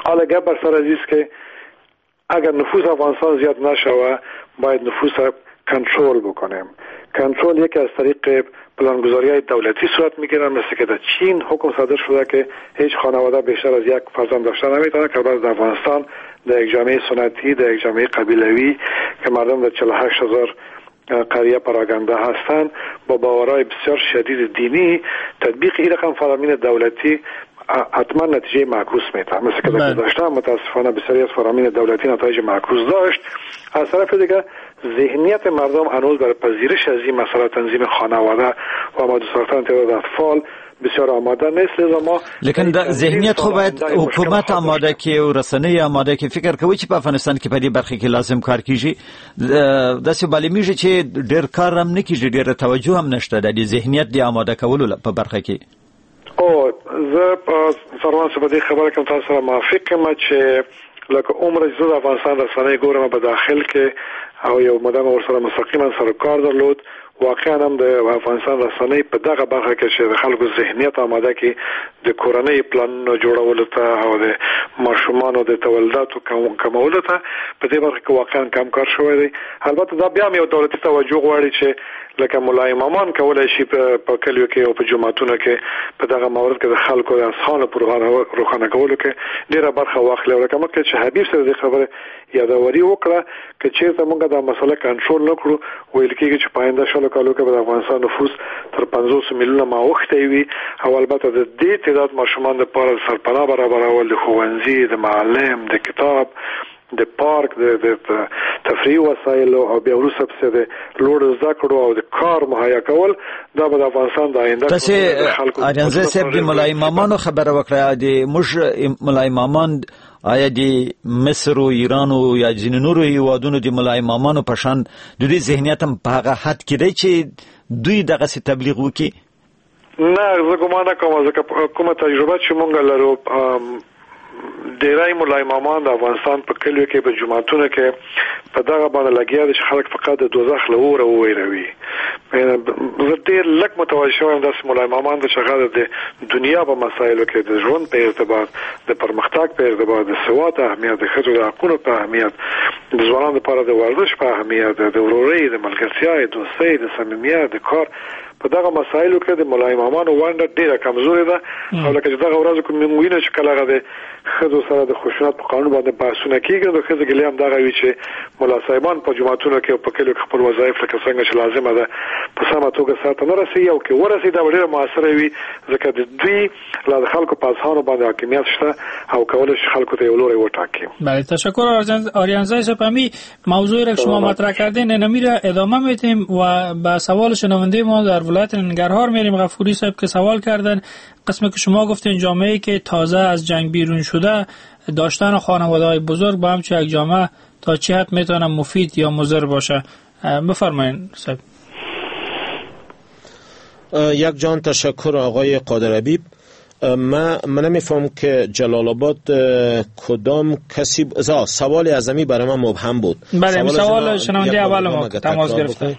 حالا گپ بر سر عزیز که اگر نفوس افغانستان زیاد نشوه باید نفوس کنترل بکنیم. کنترل یکی از طریق پلانگذاری دولتی صورت میگیره، مثل که در چین حکم صادر شده که هیچ خانواده بیشتر از یک فرزند داشته نمیتونه، که بعد در افغانستان در یک جامعه سنتی، در یک جامعه قبیلوی که مردم در چهل و هشت هزار قریه پراگنده هستند با باورهای بسیار شدید دینی، تطبیق این رقم فرامین دولتی حتما نتیجه معکوس میده. مثل که در گذشته متاسفانه بسیاری از فرامین دولتی نتایج معکوس داشت. از طرف دیگه ذهنیت مردم هنوز در پذیرش از این مسئله تنظیم خانواده و آماده ساختن تعداد اطفال بسیار آماده نیست. لذا ما لیکن د ذهنیت خو باید حکومت آماده کې او رسنۍ آماده کې. فکر کوي چې په افغانستان کې په دې برخه کې لازم کار کیږي؟ داسې معلومیږي چې ډیر کار هم نه کیږي، ډیره توجه هم نشته د دې ذهنیت د آماده کولو په برخه کې. او زه سروان صاحب دې خبره کوم تاسو سره موافق یم چې لکه عمر چې زه د افغانستان رسنۍ ګورم په داخل کې او یو موده مې ورسره مستقیما سره کار درلود، واقعا هم د افغانستان رسنۍ په دغه برخه کې چې د خلکو ذهنیت آماده کړي د کورنۍ پلانونو جوړولو ته او د ماشومانو د تولداتو کمولو ته، په دې برخه کې واقعا کم کار شوی دی. البته دا بیا هم یو دولتي توجه غواړي چې لکه ملا امامان کولای شي په کلیو کې او په جوماتونو کې په دغه مورد کې د خلکو د اذهانو په روښانه کولو کې ډیره برخه واخلي. او لکه مخکې چې حبیب سره د خبره یادوري وکړه، که چیرته موږ دا مسله کنټرول نه کړو، ویل کېږي چې په آینده شلو کالو کې به د افغانستان نفوس تر پنځوس میلیونه اوښتی وي او البته د دې تعداد ماشومان لپاره د سرپناه برابرول، د ښوونځي، د معلم، د کتاب، د پارک، د تفریحي وسایلو او بیا وروسته پسې د لوړو زده کړو او د کار مهیا کول، دا به د افغانستان د آینده تاسې آرینزی صاحب د ملا امامانو خبره وکړه. د موږ ملا امامان آیا د مصر او ایران او یا ځینو نورو هیوادونو د ملا امامانو په شان د دوی ذهنیت هم په هغه حد کې دی چې دوی دغسې تبلیغ وکړي؟ نه، زه ګمان نه کوم، ځکه کومه تجربه چې مونږ لرو، ډیری ملا امامان د افغانستان په کلیو کې په جوماتونو کې په دغه باندې لګیا دي چې خلک فقط د دوزخ له اوره وویروي. زه ډېر لږ متوجه شوم یم داسې ملا امامان چې هغه د دنیا په مسایلو کې، د ژوند په ارتباط، د پرمختګ په ارتباط، د سواد اهمیت، د ښځو د حقونو په اهمیت، د ځوانانو لپاره د ورزش په اهمیت، د ورورۍ، د ملګرتیا، د دوستۍ، د صمیمیت، د کار، په دغه مسایلو کې د ملا امامانو ونډه ډېره کمزورې ده. او لکه چې دغه ورځو کې موږ وینو چې کله هغه د ښځو سره د خشونت په قانون باندې بحثونه کېږي، نو د ښځو ګیلې هم دغه وي چې ملا صاحبان په جوماتونو کې او په کلیو کې خپل وظایف لکه څنګه چې لازمه ده په سمه توګه سرته نه رسوي، او که ورسي دا به ډېره موثره وي، ځکه د دوی لا د خلکو په اذهانو باندې حاکمیت شته او کولی شي خلکو ته یو لوری وټاکي. بله، تشکر آریانزی صاحب. همی موضوعی را که شما مطرح کردین اینمی را ادامه میدیم و به سوال شنونده ما در ولایت ننگرهار میریم. غفوری صاحب که سوال کردن، قسمی که شما گفتین جامعه که تازه از جنگ بیرون شده، داشتن خانواده‌های بزرگ با همچون یک جامعه تا چه حد میتونه مفید یا مضر باشه؟ بفرمایید صاحب. یک جان تشکر آقای قادر حبیب. من من نمیفهم که جلال آباد کدام کسی ب... سوال اعظمی برای من مبهم بود. بله، سوال شنونده اول ما تماس گرفته.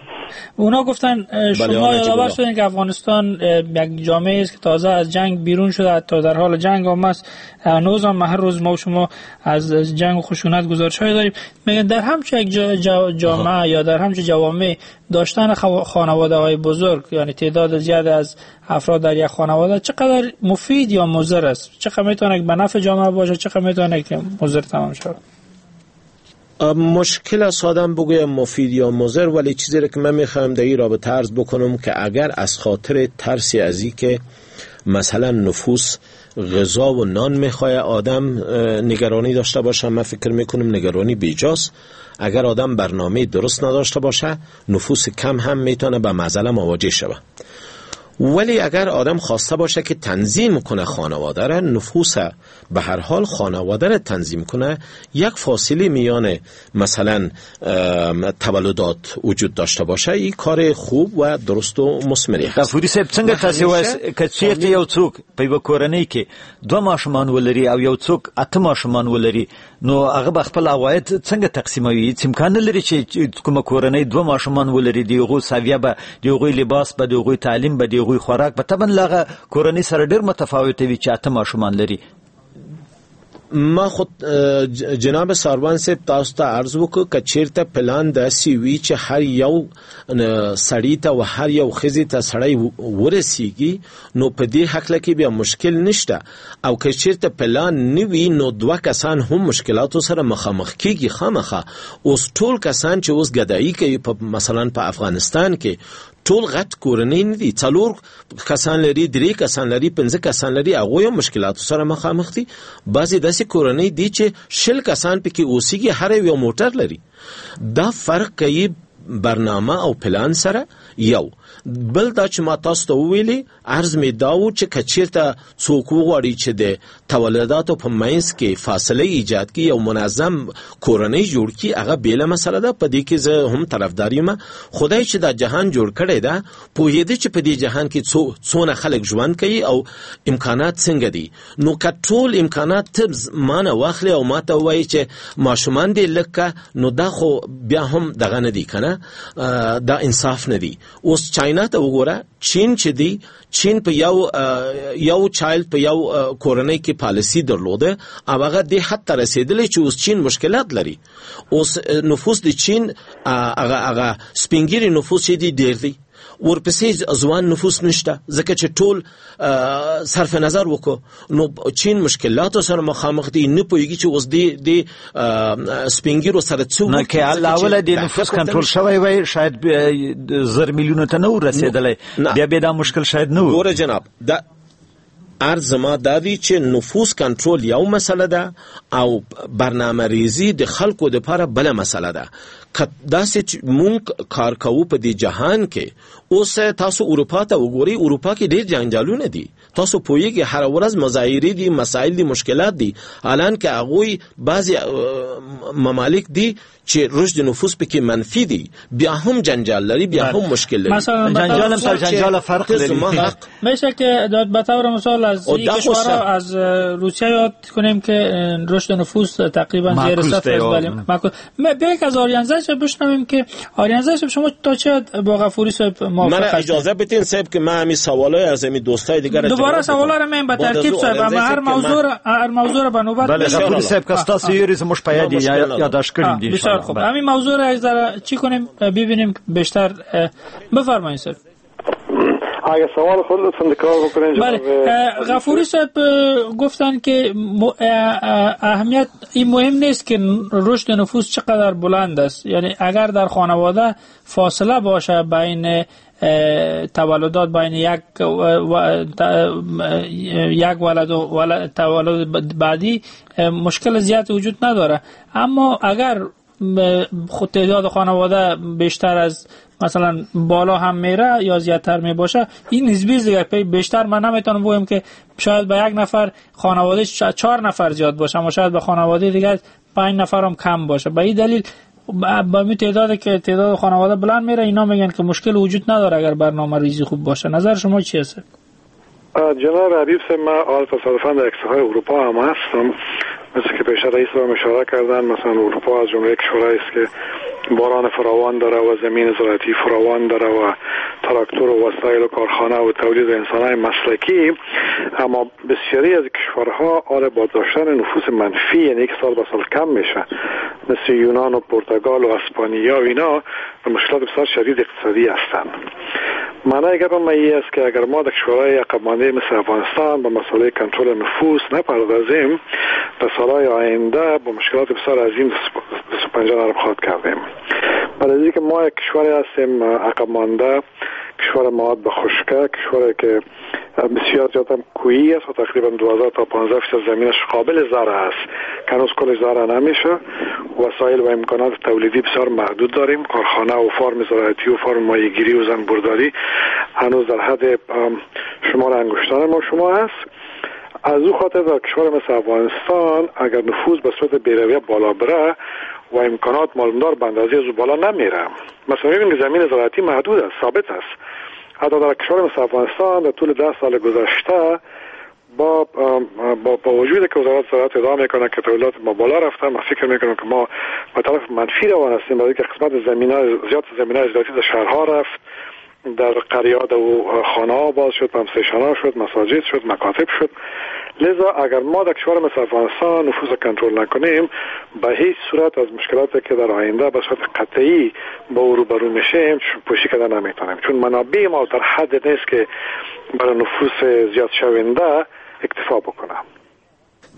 اونا گفتن شما یادآور شدین که افغانستان یک جامعه است که تازه از جنگ بیرون شده، حتی در حال جنگ هم است، هنوز هم هر روز ما و شما از جنگ و خشونت گزارش‌های داریم. میگن در همچون یک جامعه یا در همچون جوامع داشتن خانواده‌های بزرگ، یعنی تعداد زیاد از افراد در یک خانواده، چقدر مفید یا مضر است؟ چقدر میتونه به نفع جامعه باشه، چقدر میتونه که مضر تمام شود؟ مشکل است آدم بگویم مفید یا مضر، ولی چیزی را که من میخوایم در این رابطه عرض بکنم که اگر از خاطر ترسی از این که مثلا نفوس غذا و نان میخواه آدم نگرانی داشته باشه، من فکر میکنم نگرانی بیجاست. اگر آدم برنامه درست نداشته باشه، نفوس کم هم میتونه به معضله مواجه شود. ولی اگر آدم خواسته باشه که تنظیم کنه خانواده را، نفوس به هر حال خانواده را تنظیم کنه، یک فاصله میان مثلا تولدات وجود داشته باشه، این کار خوب و درست و مثمری هست. غفوری صاحب څنګه تاسو وایاست که چیرته یو څوک په یوه کورنۍ کې دوه ماشومان ولري او یو څوک اته ماشومان ولري، نو هغه به خپل عواید څنګه تقسیموي؟ هیڅ امکان نه لري چې کومه کورنۍ دوه ماشومان ولري، د هغو سویه به، د هغوی لباس به، د هغوی تعلیم به، د هغوی خوراک به طبعا له هغه کورنۍ سره ډېر متفاوت وي چې اته ماشومان لري. ما خود جناب ساروان صاحب تاسو ته عرض وکړ که چیرته پلان داسې وي چې هر یو سړی ته او هر یو ښځې ته سړی ورسیږي، نو په دې هکله کې بیا مشکل نشته، او که چیرته پلان نه وي نو دوه کسان هم مشکلاتو سره مخامخ کیږي خامخا. اوس ټول کسان چې اوس ګدایي کوي په مثلا په افغانستان کې، ټول غټ کورنۍ نه دي، څلور کسان لري، درې کسان لري، پنځه کسان لري، هغوی هم مشکلاتو سره مخامخ دي. بعضې داسې کورنۍ دي چې شل کسان پکې اوسیږي، هر یو موټر لري. دا فرق کوي برنامه او پلان سره، یو بل دا چې ما تاسو ته وویلې، عرض مې دا و چې که چیرته څوک وغواړي چې د تولداتو په منځ کې فاصله ایجاد کړي، یو منظم کورنۍ جوړ کړي، هغه بېله مسله ده، په دې کې زه هم طرفدار یم. خدای چې دا جهان جوړ کړی ده، پوهېده چې په دې جهان کې څو څونه خلک ژوند کوي او امکانات څنګه دي. نو که ټول امکانات ته مانه واخلې او ماته ووایي چې ماشومان دې لږ که، نو دا خو بیا هم دغه نه دی که نه، دا انصاف نه دی. اوس چاینا ته وګوره، چین چې دی، چین په یو یو child په یو کورنۍ کې پالیسي درلوده او هغه دې حد ته رسېدلی چې اوس چین مشکلات لري. اوس نفوس د چین هغه هغه سپینګیري نفوس چې دی ډېر دی، ورپسې ځوان نفوس نشته، ځکه چې ټول صرف نظر وکړو. نو چین مشکلاتو سره مخامخ دی، نه پوهېږي چې اوس دی دی سپینګیرو سره څه نه که اوله د نفوس کنټرول شوی وای، شاید زر میلیونو ته نه و رسېدلی، بیا به دا مشکل شاید نه و. ګوره جناب، دا عرض ما دا دی چې نفوس کنټرول یو مسله ده او برنامه ریزی د خلکو دپاره بله مسله ده. که داسې چې مونږ کار کوو په دې جهان کې، اوس تاسو اروپا ته وګورئ، اروپا کې ډېر جنجالونه دي، تاسو پوهېږئ هره ورځ مظاهرې دي، مسایل دي، مشکلات دي. الان که هغوی بعضې ممالک دي چې رشد نفوس پکې منفي دي، بیا هم جنجال لري، بیا هم مشکل لري. جنجال هم تا جنجال فرق لري. میشه که به طور مثال از کشورها، از روسیه یاد کنیم که رشد نفوس تقریبا زیر صفر است. بله معکوس. بیاید از آریانزه صاحب بشنویم که آریانزه صاحب شما تا چه با غفوری صاحب موافق من هستید؟ اجازه بدین صاحب که من همین سوالای از همین دوستای دیگر دوباره سوالا رو من به ترتیب صاحب، اما هر موضوع هر موضوع رو به نوبت. بله غفوری صاحب که تاسو یې زموږ په یاد یادداشت کړم دي. بسیار خوب، همین موضوع رو از چی کنیم ببینیم بیشتر. بفرمایید صاحب. اگه سوال خود لطفاً تکرار بکنین. بله غفوری صاحب گفتن که اهمیت این مهم نیست که رشد نفوس چقدر بلند است، یعنی اگر در خانواده فاصله باشه بین تولدات، بین یک و یک ولد و تولد بعدی، مشکل زیاد وجود نداره. اما اگر خود تعداد خانواده بیشتر از مثلا بالا هم میره یا زیادتر میباشه، این نسبی دیگه بیشتر من نمیتونم بگم که شاید به یک نفر خانواده چهار نفر زیاد باشه، اما شاید به خانواده دیگه پنج نفر هم کم باشه. به این دلیل با می تعداد که تعداد خانواده بلند میره، اینا میگن که مشکل وجود نداره اگر برنامه ریزی خوب باشه. نظر شما چی هست؟ جناب حبیب صاحب، من حال تصادفاً در کشورهای اروپا هم هستم. مثل که پیش رئیس را اشاره کردن، مثلا اروپا از جمله کشورهایی است که باران فراوان داره و زمین زراعتی فراوان داره و تراکتور و وسایل و کارخانه و تولید انسان‌های مسلکی، اما بسیاری از کشورها آره با داشتن نفوس منفی، یعنی یک سال به سال کم میشه، مثل یونان و پرتغال و اسپانیا و اینا، مشکلات بسیار شدید اقتصادی هستند. معنای گپ ما این است که اگر ما در کشورهای عقب مانده مثل افغانستان به مسئله کنترل نفوس نپردازیم، در سالهای آینده با مشکلات بسیار عظیم دست و پنجه نرم خواهد کردیم. برای اینکه ما یک کشوری هستیم عقب مانده، کشور مواد به خشکه، کشوری که بسیار زیاد هم کوهی است و تقریبا دوازده تا پانزده فیصد زمینش قابل زرع است که هنوز کل زرع نمیشه. وسایل و امکانات تولیدی بسیار محدود داریم. کارخانه و فارم زراعتی و فارم ماهیگیری و زنبورداری هنوز در حد شمار انگشتان ما شما است. از او خاطر در کشور مثل افغانستان اگر نفوذ به صورت بی‌رویه بالا بره و امکانات معلومدار به اندازه از او بالا نمیره، مثلا میبینیم که زمین زراعتی محدود است، ثابت است. حتی در کشور مثل افغانستان در طول ده سال گذشته با با, با وجود که وزارت زراعت ادعا میکنه که تولیدات ما بالا رفته، ما فکر میکنم که ما به طرف منفی روان هستیم، برای اینکه قسمت زمین‌های زیاد زمین‌های زراعتی در شهرها رفت، در قریات و خانه ها باز شد، pump station ها شد، مساجد شد، مکاتب شد. لذا اگر ما در کشور مثل افغانستان نفوذ کنترل نکنیم، به هیچ صورت از مشکلاتی که در آینده به صورت قطعی با او روبرو میشیم پوشی کردن نمیتونیم، چون منابع ما در حد نیست که برای نفوس زیاد شونده اکتفا بکنه.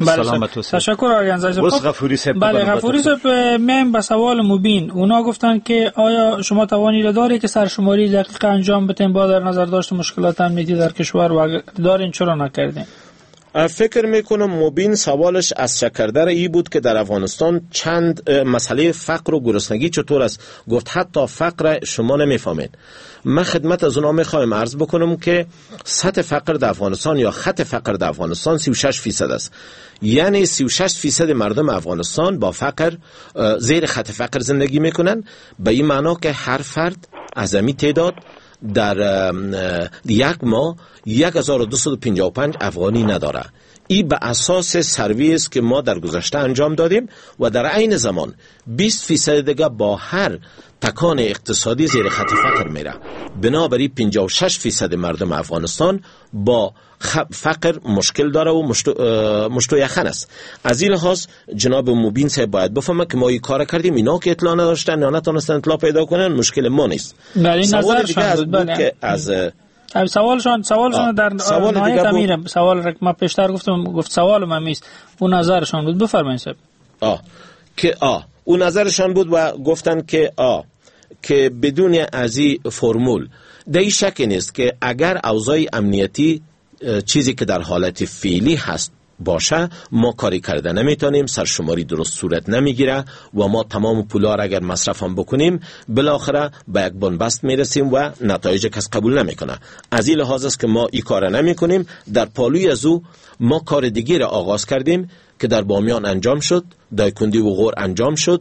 بله، تشکر آریان زاده. غفوری صاحب. بله غفوری صاحب، میایم به سوال مبین. اونا گفتن که آیا شما توانی را داری که سرشماری دقیق انجام بدین با در نظر داشت مشکلات امنیتی در کشور، و اگر دارین چرا نکردین؟ فکر میکنم مبین سوالش از شکردر ای بود که در افغانستان چند مسئله فقر و گرسنگی چطور است. گفت حتی فقر شما نمیفهمید. من خدمت از اونا میخوایم عرض بکنم که سطح فقر در افغانستان یا خط فقر در افغانستان سی و شش فیصد است. یعنی سی و شش فیصد مردم افغانستان با فقر زیر خط فقر زندگی میکنن، به این معنا که هر فرد از این تعداد در یک ماه هزار و دویست و پنجاه و پنج افغانی نداره. این به اساس سروی است که ما در گذشته انجام دادیم و در عین زمان بیست فیصد دیگه با هر تکان اقتصادی زیر خط فقر میره. بنابراین پنجاه و شش فیصد مردم افغانستان با فقر مشکل داره و مشت و یخن است. از این لحاظ جناب مبین صاحب باید بفهمه که ما این کار کردیم، اینا که اطلاع نداشتن یا نتونستن اطلاع پیدا کنن مشکل ما نیست. سوال دیگه از بود که از سوالشان سوالشان در سوال دیگه بود. سوال را ما پیشتر گفتم، گفت سوال من نیست، اون نظرشان بود. بفرمایید صاحب. آ که آ اون نظرشان بود و گفتن که آ که بدون از این فرمول در این شک نیست که اگر اوضاع امنیتی چیزی که در حالت فعلی هست باشه ما کاری کرده نمیتونیم، سرشماری درست صورت نمیگیره و ما تمام پولا را اگر مصرف هم بکنیم بالاخره به یک بنبست میرسیم و نتایج کس قبول نمیکنه. از این لحاظ است که ما این کار نمیکنیم. در پالوی از او ما کار دیگه را آغاز کردیم که در بامیان انجام شد، دایکندی و غور انجام شد،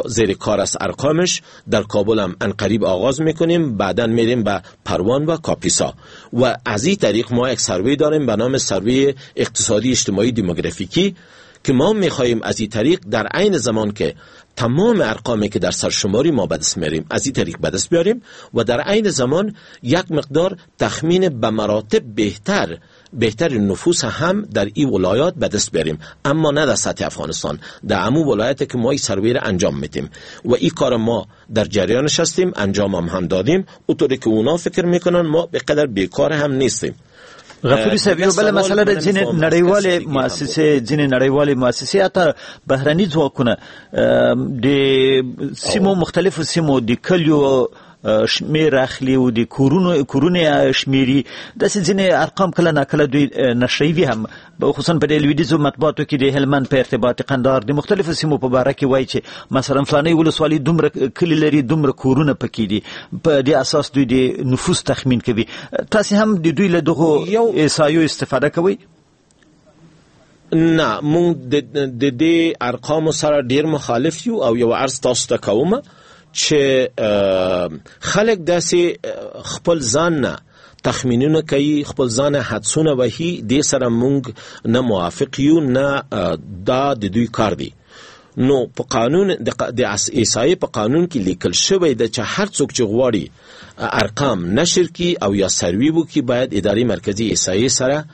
زیر کار است ارقامش، در کابل هم عنقریب آغاز میکنیم، بعدا میریم به پروان و کاپیسا و از این طریق ما یک سروی داریم به نام سروی اقتصادی اجتماعی دموگرافیکی که ما میخواهیم از این طریق در عین زمان که تمام ارقامی که در سرشماری ما به دست میاریم از این طریق به دست بیاریم و در عین زمان یک مقدار تخمین به مراتب بهتر بهتر نفوس هم در این ولایات به دست بیاریم، اما نه در سطح افغانستان، در امو ولایت که ما این سروی را انجام میدیم و این کار ما در جریانش هستیم، انجام هم, هم دادیم. اونطوری که اونا فکر میکنن ما به قدر بیکار هم نیستیم. غفوري صاحب یو بله مسله ده، ځینې نړیوالې مؤسسې ځینې نړیوالې مؤسسې حتی بهرني ځواکونه د سیمو مختلفو سیمو د کلیو شمیر اخلي او د کورونو کورونه شمیري، داسې ځینې ارقام کله ناکله دوی نشروي هم، خصوصا په لویدیځو مطبوعاتو کې د هلمند په ارتباط قندهار د مختلفو سیمو په باره کې وایي چې مثلا فلانۍ ولسوالي دومره کلي لري، دومره کورونه پکې دي، په دې اساس دوی د نفوس تخمین کوي. تاسې هم د دوی له دغو احصایو استفاده کوئ؟ نه، موږ د دې ارقامو سره ډیر مخالف یو او یو عرض تاسو ته کوم چې خلک داسې خپل ځان نه تخمینونه کوي، خپل ځان حدسونه وهي، دې سره مونږ نه موافق یو، نه دا د دوی کار دی. نو په قانون د احصایې په قانون کې لیکل شوی ده چې هر څوک چې غواړي ارقام نشر کړي او یا سروي وکړي باید ادارې مرکزي احصایې سره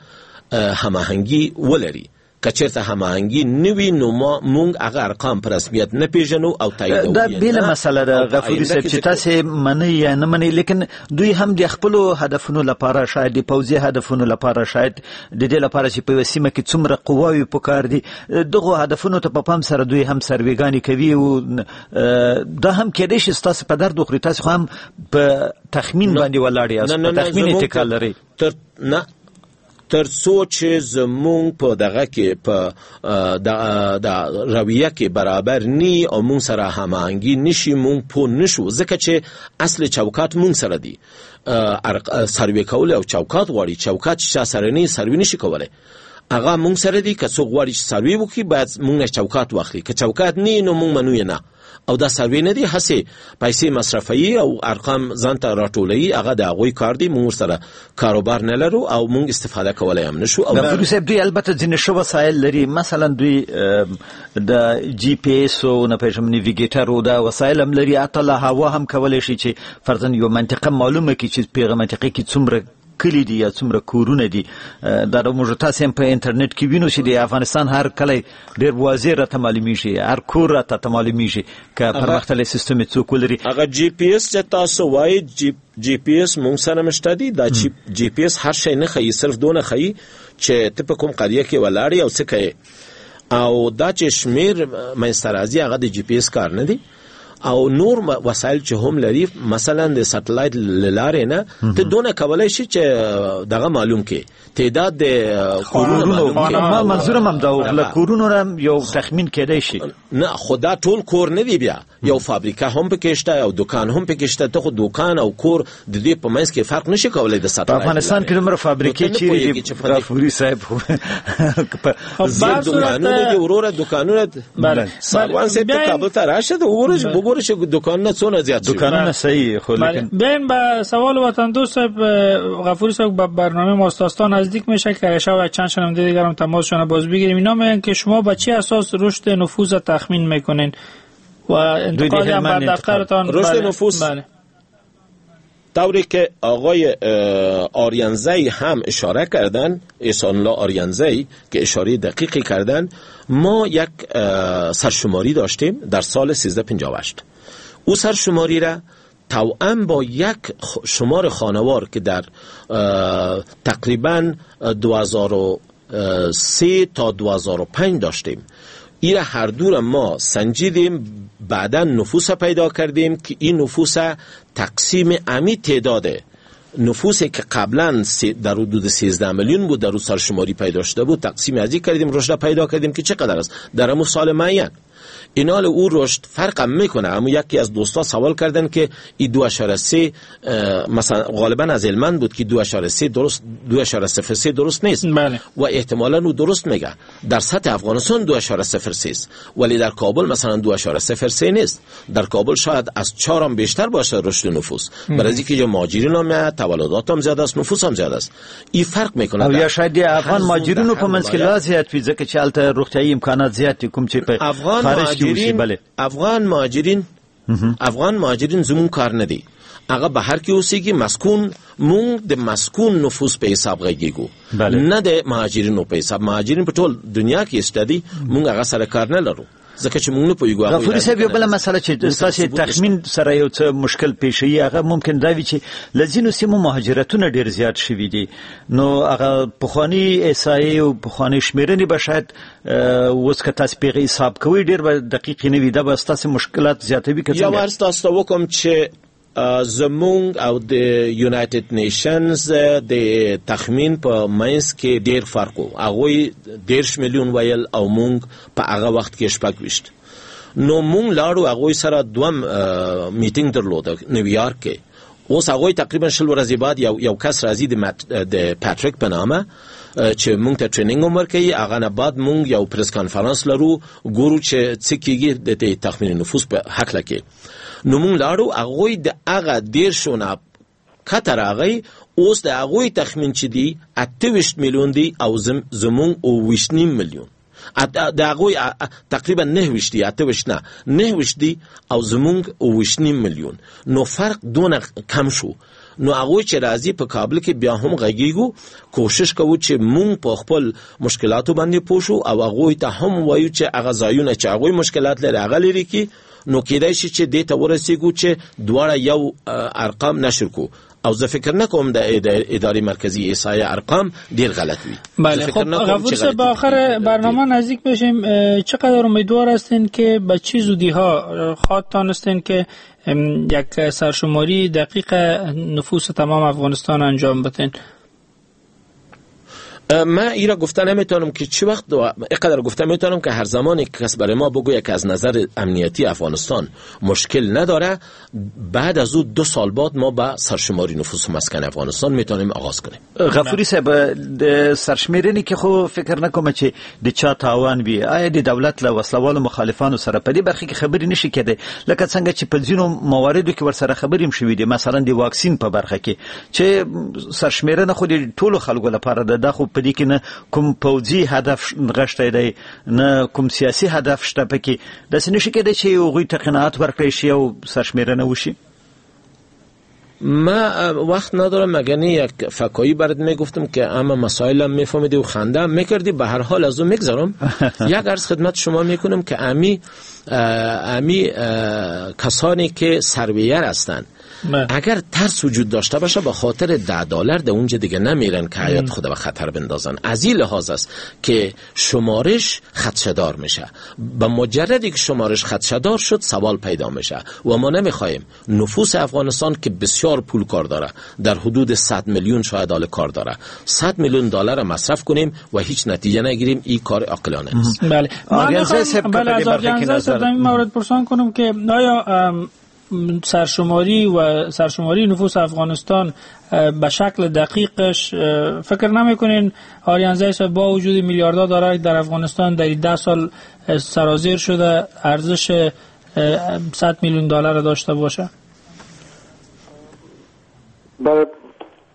هماهنګي ولري. که چېرته هماهنګي نه وي نو ما مونږ هغه ارقام په رسمیت نه پیژنو او تاییدوو. دا بېله مسله ده غفوري صاحب چې تاسې منئ یا نه منئ، لیکن دوی هم د خپلو هدفونو لپاره، شاید د پوځي هدفونو لپاره، شاید د دې لپاره چې په یوه سیمه کې څومره قواوې پکار دي، دغو هدفونو ته په پام سره دوی هم سرویګانې کوي او دا هم کېدای شي ستاسې په درد وخوري. تاسې خو هم په تخمین باندې ولاړ یاست، په تخمین اتکا لرئ. تر نه تر څو چې زمونږ په دغه کې په د رویه کې برابر نی او مونږ سره هماهنګي نشي، مونږ پوه نشو، ځکه چې اصل چوکات مونږ سره دی. سروې کول او چوکات غواړي، چوکات چې چا سره نه سروې نشي کولی، هغه مونږ سره دی. که څوک غواړي چې سروې وکړي باید مونږ چوکات واخلي، که چوکات نه نو مونږ منو یې نه. او دا سروې نه دی، هسې پیسې مصرفوي او ارقام ځان ته راټولوي، هغه د هغوی کار دی، مونږ ورسره کاروبار نه لرو او مونږ استفاده کولی هم نشو. او غفوري صاحب دوی البته ځینې ښه وسایل لري، مثلا دوی د جی پي اس او نه پوهېږم navigator او دا وسایل هم لري، حتی له هوا هم کولی شي چې فرضاً یوه منطقه معلومه کړي چې په هغه منطقه کې څومره کلي دي یا څومره کورونه دي. دا د موږ تاسې هم په انټرنیټ کې وینو چې د افغانستان هر کلی ډېر واضح راته معلومیږي، هر کور راته معلومیږي که پرمختللی سیستم یې څوک ولري. هغه جی پي اس چې تاسو وایئ، جی جی پي اس مونږ سره مشته دی. دا چې جی پي اس هر شی نه ښیي، صرف دونه ښیي چې ته په کوم قریه کې ولاړ یې او څه کوې، او دا چې شمېر منځته راځي هغه د جی پي اس کار نه دی. او نور وسایل چې هم لري، مثلا د سټلایټ لارې نه ته دونه کولای شي چې دغه معلوم کې تعداد د کورونو معلوم. ما منظورم هم دا له کورونو هم یو تخمین کېدای شي. نه خدا ټول کور نه دی، بیا یو فابریکه هم پکې شته او دکان هم پکې شته. ته خو دکان او کور د دې په منځ کې فرق نشي کولای. د سټلایټ افغانستان کې دومره فابریکې چیرې دي غفوري صاحب؟ زیات دکانونه دي وروره، دکانونه بله. ساروان صاحب ته کابل ته راشه د وګوره وګوره چې دکانونه څونه زیات شوي. دکانونه صحیح خو لیکن بیاین به سوال وطن دوست صاحب غفوری صاحب با برنامه ماستاستان نزدیک میشه که شب چند شنونده دیگر هم تماسشون باز بگیریم. اینا میگن که شما با چه اساس رشد نفوذ تخمین میکنین و انتقاد هم بر دفترتان؟ رشد نفوذ بله. طوری که آقای آریانزی هم اشاره کردن، احسان الله آریانزی که اشاره دقیقی کردن، ما یک سرشماری داشتیم در سال سیزده پنجاه و هشت. او سرشماری را توأم با یک شمار خانوار که در تقریبا دو هزار و سه تا دو هزار و پنج داشتیم، این هر دو را ما سنجیدیم، بعدا نفوس پیدا کردیم که این نفوس تقسیم امی تعداد نفوسی که قبلا در حدود سیزده میلیون بود در روز سرشماری پیدا شده بود، تقسیم ازی کردیم، رشد پیدا کردیم که چقدر است در امو سال معین. اینال او رشد فرق هم میکنه. اما یکی از دوستا سوال کردن که این دو اعشاریه سه مثلا غالبا از هلمند بود که دو اعشاریه سه درست، دو اعشاریه صفر سه درست نیست. بله. و احتمالاً او درست میگه. در سطح افغانستان دو اعشاریه صفر سه است، ولی در کابل مثلا دو اعشاریه صفر سه نیست. در کابل شاید از چهار هم بیشتر باشه رشد نفوس، برای اینکه یا مهاجرین هم تولدات هم زیاد است، نفوس هم زیاد است. این فرق میکنه. او یا شاید افغان مهاجرینو په منځ کې لا زیات وي، ځکه چې هلته روغتیایي امکانات زیات دي، کوم چې په افغان مهاجرین بله. افغان مهاجرین افغان مهاجرین زمون کار نه دی، هغه بهر کې اوسېږي. مسکون مونږ د مسکون نفوس په حساب غږیږو، نه د مهاجرینو په حساب. مهاجرین په ټول دنیا کې شته دي، مونږ هغه سره کار نه لرو ځکه چې مونږ نه پوهیږو. غفوري صاحب یو بله مسله چې ستاسې تخمین سره یو څه مشکل پېښوي، هغه ممکن دا وي چې له ځینو سیمو مهاجرتونه ډېر زیات شوي دي، نو هغه پخواني احصایې او پخوانۍ شمېرنې به شاید اوس که تاسې په هغې حساب کوئ ډېر به دقیقې نه وي، دا به ستاسې مشکلات زیاتوي که څنګه؟ یو عرض تاسو ته وکړم چې زمونږ او د United Nations د تخمین په منځ کې ډیر فرق و. هغوی دېرش میلیون ویل او مونږ په هغه وخت کې شپږ ویشت. نو مونږ لاړو هغوی سره دوم میټینګ درلود نیویارک کې. اوس هغوی تقریبا شل ورځې بعد یو یو کس راځي د د پاتریک په نامه چې مونږ ته training هم ورکوي. هغه نه بعد مونږ یو press conference لرو، ګورو چې څه کېږي د تخمین نفوس په هکله کې. نو مونږ لاړو، هغوی د هغه دېرشو نه کته راغی. اوس د هغوی تخمین چې دی اته ویشت میلیون دی او زمونږ اوویشت نیم میلیون. د هغوی تقریبا نه ویشت دی، اته ویشت نه نه ویشت دی او زمونږ اوویشت نیم میلیون. نو فرق دونه کم شو. نو هغوی چې راځي په کابل کې بیا هم غږیږو، کوشش کوو چې مونږ په خپل مشکلاتو باندې پوه شو او هغوی ته هم وایو چې هغه ځایونه چې هغوی مشکلات لري هغه لرې کړي. نو کېدای شي چې دې ته ورسېږو چې دواړه یو ارقام نشر کو. او زه فکر نکوم د اداره مرکزی احصایه ارقام ډیر غلط وي. بله. خب غفور صاحب به آخر برنامه نزدیک بشیم. چقدر امیدوار هستین که به چه زودی ها خواد تانستین که یک سرشماری دقیق نفوس تمام افغانستان انجام بدین؟ من ایرا گفته نمیتونم که چه وقت، اینقدر گفته میتونم که هر زمانی که کس برای ما بگوید که از نظر امنیتی افغانستان مشکل نداره، بعد از او دو سال بعد ما به سرشماری نفوس و مسکن افغانستان میتونیم آغاز کنیم. غفوری صاحب د سرشمیرنې کې خو فکر نکوم چې د چا تاوان وي. آیا د دولت له وسلوالو مخالفانو سره په دې برخه کې خبرې نشي کېدای، لکه څنګه چې په ځینو مواردو کې ورسره خبرې هم شوې دي، مثلا د واکسین په برخه کې چې سرشمیرنه خو د ټولو خلکو لپاره ده، دا خو په دې کې نه کوم پوځي هدف نغښتی دی نه کوم سیاسي هدف شته پکې، داسې نشي کېدای چې هغوی ته قناعت ورکړی شي او سرشمیرنه وشي؟ ما وقت ندارم، مگر نه یک فکایی برات میگفتم که اما مسائلم میفهمیدی و خنده هم میکردی. به هر حال از اون میگذرم. یک عرض خدمت شما میکنم که امی امی کسانی که سرویر هستند بله. اگر ترس وجود داشته باشه به خاطر ده دلار در اونجا دیگه نمیرن که حیات خود به خطر بندازن. از این لحاظ است که شمارش خدشه‌دار میشه. به مجردی که شمارش خدشه‌دار شد سوال پیدا میشه و ما نمیخوایم نفوس افغانستان که بسیار پول کار داره، در حدود صد میلیون شاید آل کار داره، صد میلیون دلار مصرف کنیم و هیچ نتیجه نگیریم، این کار عاقلانه نیست. بله. بله، از آریانزه صاحب در این مورد پرسان کنم که آیا سرشماری و سرشماری نفوس افغانستان به شکل دقیقش فکر نمی‌کنین آریانزه صاحب با وجود میلیاردها دلار در افغانستان در ده سال سرازیر شده ارزش صد میلیون دلار داشته باشه؟ برای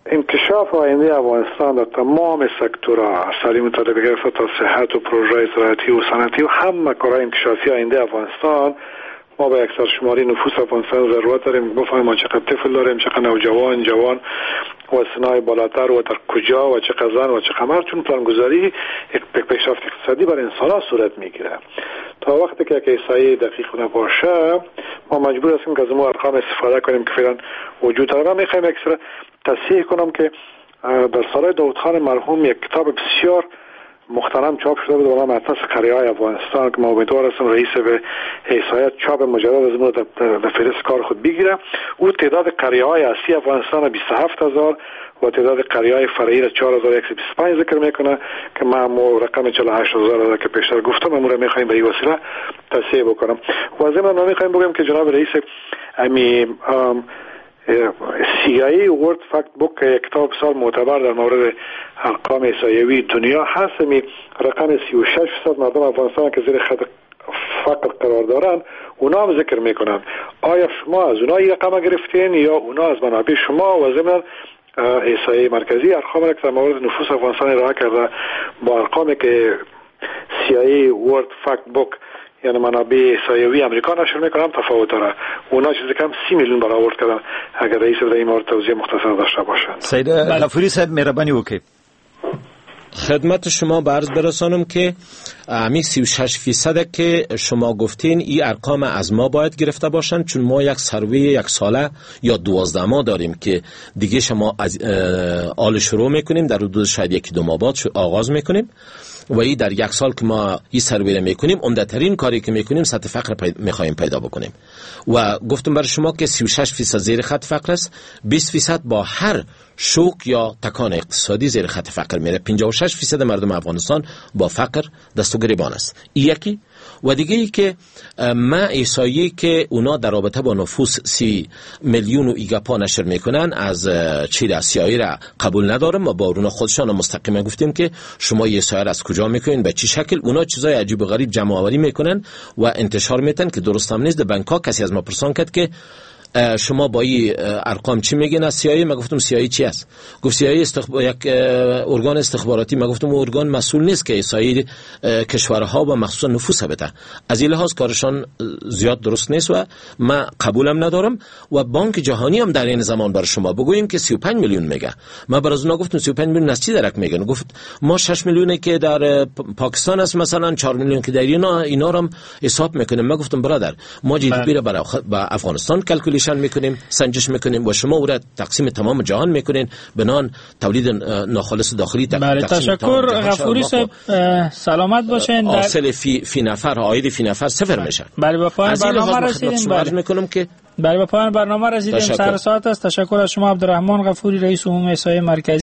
انکشاف آینده افغانستان در تمام سکتورها، از تعلیم طالب گرفته تا صحت و پروژه زراعتی و صنعتی و همه کارهای انکشافی آینده افغانستان، ما به یک سرشماری نفوس افغانستان ضرورت داریم بفهمیم ما چقدر طفل داریم، چقدر نوجوان، جوان و سنای بالاتر و در کجا و چقدر زن و چقدر مرد، چون پلانگذاری یک پیشرفت اقتصادی بر انسان ها صورت میگیره. تا وقتی که یک احصایه دقیق نباشه ما مجبور هستیم که از اون ارقام استفاده کنیم که فعلا وجود داره. من میخوایم یک سر تصحیح کنم که در سالهای داود خان مرحوم یک کتاب بسیار مخترم چاپ شده بود به نام اطلس قریه‌های افغانستان که ما امیدوار هستم رئیس به احصایه چاپ مجدد از اون در فهرست کار خود بگیره. او تعداد قریه‌های اصلی افغانستان بیست و هفت هزار و تعداد قریه‌های فرعی را چهار هزار و صد و بیست و پنج ذکر میکنه که ما هم رقم چهل و هشت هزار را که پیشتر گفتم امور میخوایم به این وسیله تصحیح بکنم. و ضمن ما میخوایم بگیم که جناب رئیس امی سی آی ای World Factbook که کتاب بسیار معتبر در مورد ارقام احصایوی دنیا هست، می رقم سی و شش درصد مردم افغانستان که زیر خط فقر قرار دارن اونا هم ذکر میکنن. آیا شما از اونا این رقم گرفتین یا اونا از منابع شما؟ و ضمن احصایه مرکزی ارقام را که در مورد نفوس افغانستان ارائه کرده با ارقامی که سی آی ای World Factbook یعنی منابع احصایوی امریکا نشر میکنم تفاوت داره. اونا چیزی کم سی میلیون برآورد کردن. اگر رئیس در این مورد توضیح مختصر داشته باشند. سید غفوری صاحب مهربانی وکړئ. خدمت شما به عرض برسانم که امی سی و شش فیصد که شما گفتین این ارقام از ما باید گرفته باشن، چون ما یک سروی یک ساله یا دوازده ماه داریم که دیگه شما از آل شروع میکنیم، در حدود شاید یکی دو ماه بعد آغاز میکنیم و این در یک سال که ما این سروی رو میکنیم عمده ترین کاری که میکنیم سطح فقر پی... میخوایم پیدا بکنیم و گفتم برای شما که سی و شش فیصد زیر خط فقر است، بیست فیصد با هر شوک یا تکان اقتصادی زیر خط فقر میره، پنجاه و شش فیصد مردم افغانستان با فقر دست و گریبان است. یکی و دیگه ای که ما احصایه که اونا در رابطه با نفوس سی میلیون و ایگاپا نشر میکنن از چیز آسیایی را قبول ندارم. ما با اونا خودشان مستقیما گفتیم که شما احصایه را از کجا میکنین، به چی شکل؟ اونا چیزای عجیب و غریب جمع آوری میکنن و انتشار میتن که درست هم نیست. در بانک کسی از ما پرسان کرد که شما با این ارقام چی میگین از سی آی ای؟ ما گفتم سی آی ای چی است؟ گفت سی آی ای استخب... یک ارگان استخباراتی. ما گفتم ارگان مسئول نیست که احصایه کشورها و مخصوصا نفوس بده. از این لحاظ کارشان زیاد درست نیست و ما قبولم ندارم. و بانک جهانی هم در این زمان بر شما بگوییم که سی و پنج میلیون میگه. ما بر از اونا گفتم سی و پنج میلیون از چی درک میگن؟ گفت ما شش میلیونه که در پاکستان است مثلا، چهار میلیون که در اینا اینا رو هم حساب میکنیم. ما گفتم برادر ما جی دی پی را برای افغانستان calculation میکنیم، سنجش میکنیم و شما او را تقسیم تمام جهان میکنین بنان تولید ناخالص داخلی. بله تشکر غفوری صاحب، سلامت باشین. حاصل فی فی نفر عاید فی نفر صفر میشه. بله به پایان برنامه رسیدیم. بله میکنم که بله به پایان برنامه رسیدیم. سر ساعت است. تشکر از شما عبدالرحمن غفوری رئیس عمومی احصایه مرکزی.